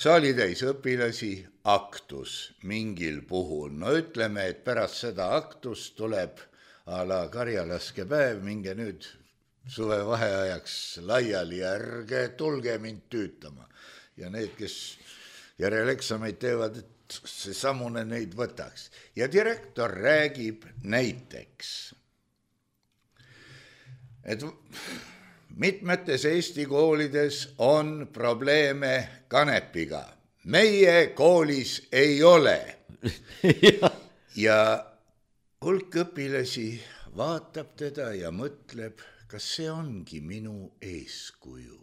Saali täis õpilasi, aktus mingil puhul. No ütleme, et pärast seda aktust tuleb a la karjalaske päev, minge nüüd suve vaheajaks laiali ja ärge tulge mind tüütama. Ja need, kes järeleksameid teevad, et see samune neid võtaks. Ja direktor räägib näiteks, et mitmetes Eesti koolides on probleeme kanepiga. Meie koolis ei ole. Ja hulk õpilasi vaatab teda ja mõtleb, kas see ongi minu eeskuju.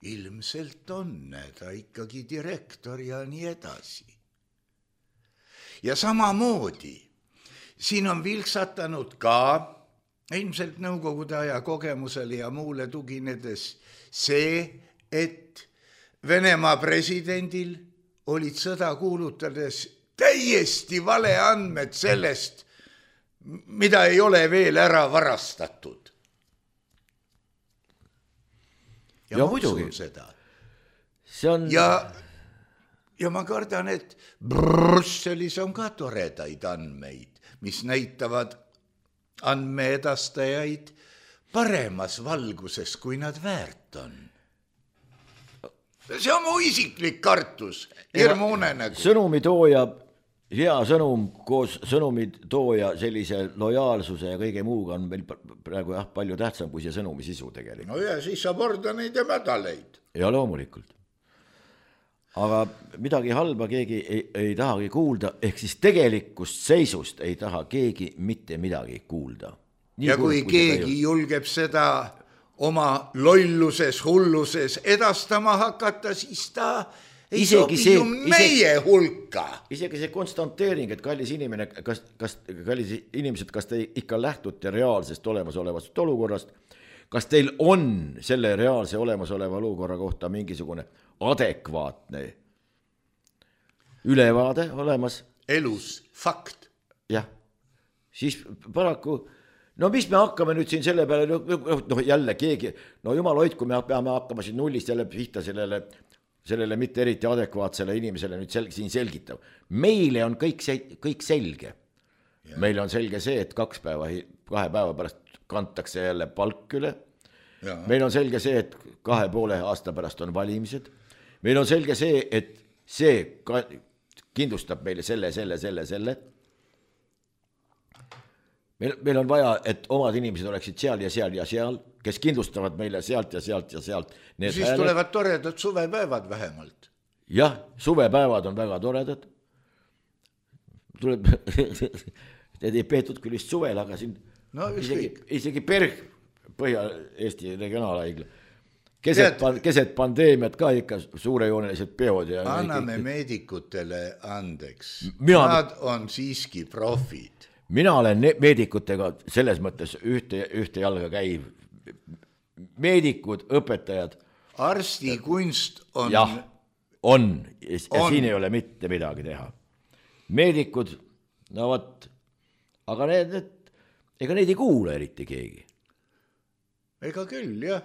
Ilmselt on ta ikkagi direktor ja nii edasi. Ja samamoodi, siin on vilksatanud ka, ilmselt nõukogude aja kogemusele ja muule tuginedes, see, et Venemaa presidendil olid sõda kuulutades täiesti vale andmed sellest, mida ei ole veel ära varastatud. Ja, ja muidugi seda. On... Ja, ja ma kardan, et Brüsselis on ka toredaid andmeid, mis näitavad andmeedastajaid paremas valguses, kui nad väärt on. See on mu isiklik kartus, hirmune nägu. Sõnumitooja, hea sõnum koos sõnumitooja sellise lojaalsuse ja kõige muuga on meil praegu jah, palju tähtsam kui see sõnumi sisu tegelikult. No ja siis saab orda neid ja mädaleid. Ja loomulikult. Aga midagi halba keegi ei, ei tahagi kuulda, ehk siis tegelikust seisust ei taha keegi mitte midagi kuulda. Nii ja kui, kui keegi julgeb seda oma lolluses, hulluses edastama hakata, siis ta ei sobi see, ju meie isegi, hulka. Isegi see konstanteering, et kallis inimene, kas, kas, kallis inimesed, kas te ikka lähtute reaalsest olemasolevast olukorrast, kas teil on selle reaalse olemasoleva olukorra kohta mingisugune adekvaatne ülevaade olemas? Elus fakt. Jah, siis paraku no mis me hakkame nüüd siin selle peale, noh jälle keegi, no jumal hoid, kui me peame hakkama siin nullist jälle pihta sellele sellele mitte eriti adekvaatsele inimesele nüüd sel- siin selgitav. Meile on kõik, se- kõik selge. Ja. Meil on selge see, et kaks päeva, kahe päeva pärast kantakse jälle palk üle. Ja. Meil on selge see, et kahe poole aasta pärast on valimised. Meil on selge see, et see ka kindlustab meile selle, selle, selle, selle. Meil, meil on vaja, et omad inimesed oleksid seal ja seal ja seal, kes kindlustavad meile sealt ja sealt ja sealt. Need siis hääled. Tulevad toredad suvepäevad vähemalt. Jah, suvepäevad on väga toredad. Tuleb, need ei peetud küll vist suvel, aga siin no, isegi, isegi Perg, Põhja-Eesti regionaalhaigla. Keset, Tead, keset pandeemiat ka ikka suurejoonelised peod. Ja anname kõik... meedikutele andeks. Mina... Nad on siiski profid. Mina olen meedikutega selles mõttes ühte, ühte jalga käiv. Meedikud, õpetajad. Arsti kunst on... Jah, on. Ja on. Siin ei ole mitte midagi teha. Meedikud, no võt, aga need, need, ega neid ei kuule eriti keegi. Ega küll, jah.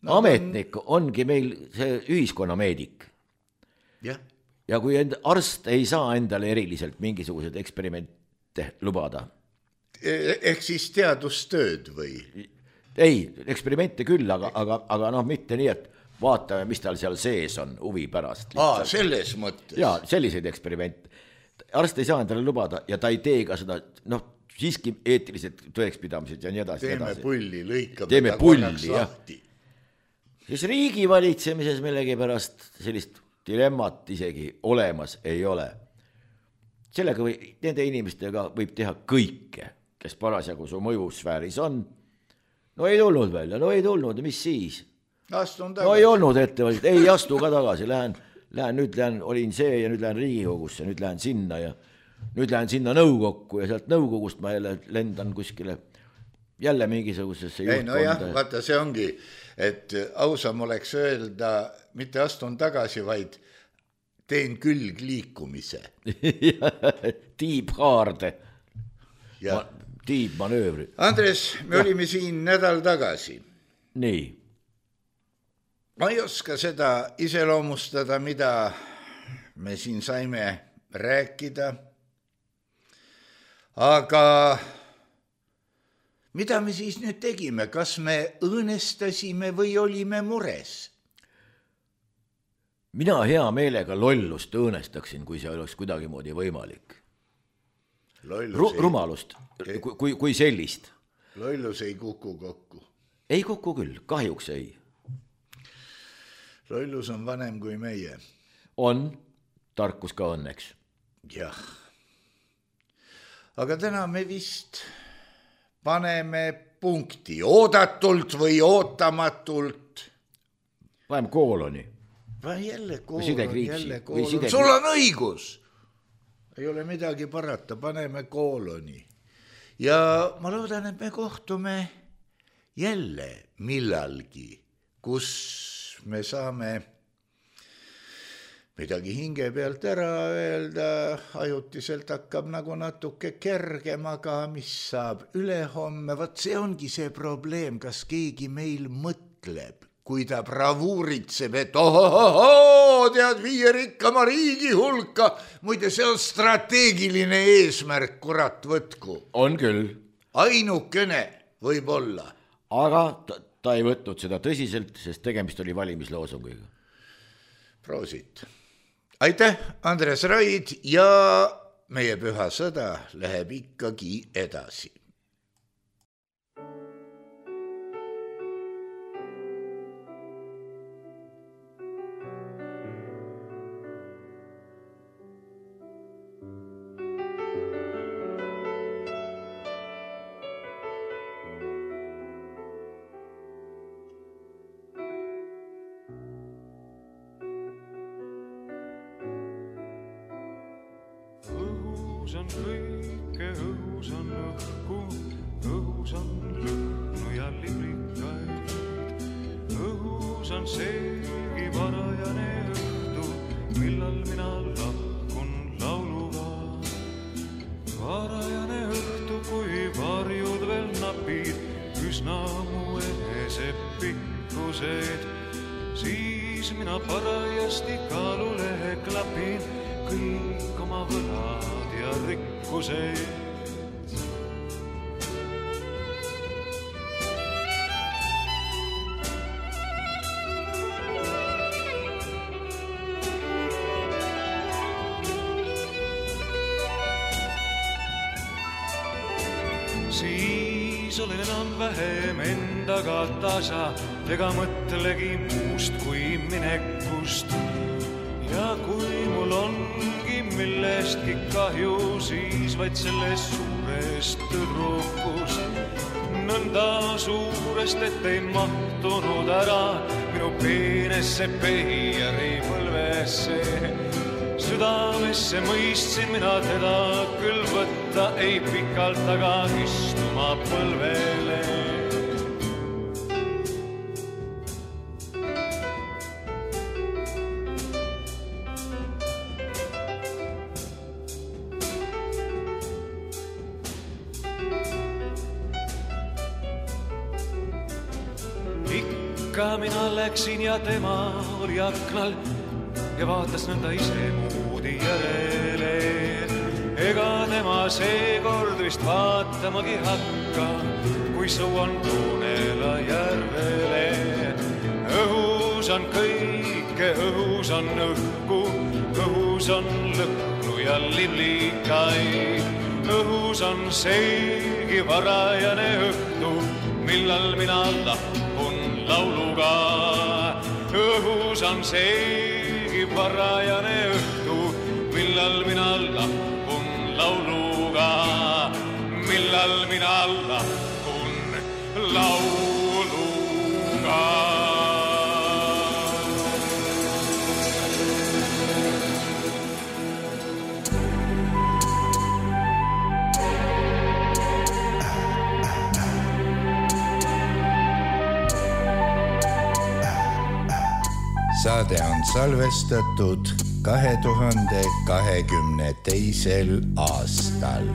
No, ametnik on... ongi meil see ühiskonnameedik. Ja, ja kui end, arst ei saa endale eriliselt mingisugused eksperimente lubada. Ehk siis teadustööd või? Ei, eksperimente küll, aga, aga, aga noh, mitte nii, et vaatame, mis tal seal sees on huvi pärast. Aa, selles mõttes. Jaa, selliseid eksperimente. Arst ei saa endale lubada ja ta ei tee ka seda, noh, siiski eetilised tõekspidamised ja nii edasi. Teeme edasi. pulli, lõikame Teeme pulli, jah. Siis riigi valitsemises millegi pärast sellist dilemmat isegi olemas ei ole. Sellega või, nende inimestega võib teha kõike, kes parasjagu su mõjusfääris on. No ei tulnud välja, no ei tulnud, mis siis? Astun tagasi. No ei olnud ettevõtjad, ei astu ka tagasi, lähen, lähen, nüüd lähen, olin see ja nüüd lähen Riigikogusse, nüüd lähen sinna ja nüüd lähen sinna nõukokku ja sealt nõukogust ma jälle lendan kuskile jälle mingisugusesse juhtkonda. Ei no jah, vaata see ongi, et ausam oleks öelda, mitte astun tagasi, vaid teen külg liikumise. Tiibhaarde, Ma, tiibmanöövri. Andres, me ja. olime siin nädal tagasi. Nii. Ma ei oska seda iseloomustada, mida me siin saime rääkida, aga mida me siis nüüd tegime? Kas me õõnestasime või olime mures? Mina hea meelega lollust õõnestaksin, kui see oleks kuidagi moodi võimalik. Ru- rumalust, kui, kui, kui sellist. Lollus ei kuku kokku. Ei kuku küll, kahjuks ei. Lollus on vanem kui meie. On, tarkus ka õnneks. Jah. Aga täna me vist paneme punkti. Oodatult või ootamatult. Paneme kooloni. Va jälle kooloni, jälle kooloni. Sul on õigus. Ei ole midagi parata, paneme kooloni. Ja ma loodan, et me kohtume jälle millalgi, kus me saame midagi hinge pealt ära öelda, ajutiselt hakkab nagu natuke kergem, aga mis saab ülehomme, vaat see ongi see probleem, kas keegi meil mõtleb, kui ta bravuuritseb, et ohohoho, tead viie rikkama riigi hulka, muide see on strateegiline eesmärk, kurat võtku. On küll. Ainukene võib olla. Aga ta, ta ei võtnud seda tõsiselt, sest tegemist oli valimisloosungiga. Proosit. Aitäh, Andres Raid, ja meie püha sõda läheb ikkagi edasi. on kõike, õhus on õhku, õhus on lõhnu ja librikaid. Õhus on seegi varajane õhtu, millal mina lahkun lauluga. Varajane õhtu, kui varjud veel napid, üsna mu eese pikkused, siis siis mina parajasti kaalulehe klapin kõik oma võlad ja rikkused. Siis olen enam vähem endaga tasa, ega mõtlegi muust kui minekust. Ja kui mul ongi millestki kahju, siis vaid sellest suurest tüdrukust. Nõnda suurest, et ei mahtunud ära minu peenesse peijari põlvesse. Südamesse mõistsin mina teda küll võtta, ei pikalt taga istuma põlvele. Ikka mina läksin ja tema oli aknal ja vaatas nõnda ise moodi järele. Ega tema seekord vist vaatamagi hakka, kui sõuan Tuunela järvele. Õhus on kõike, õhus on õhku, õhus on lõhnu ja liblikaid. Õhus on seegi varajane õhtu, millal mina lahkun lauluga. Õhus on seegi varajane õhtu, millal mina lahkun lauluga, millal mina lahkun lauluga. Saade on salvestatud kahe tuhande kahekümne teisel aastal.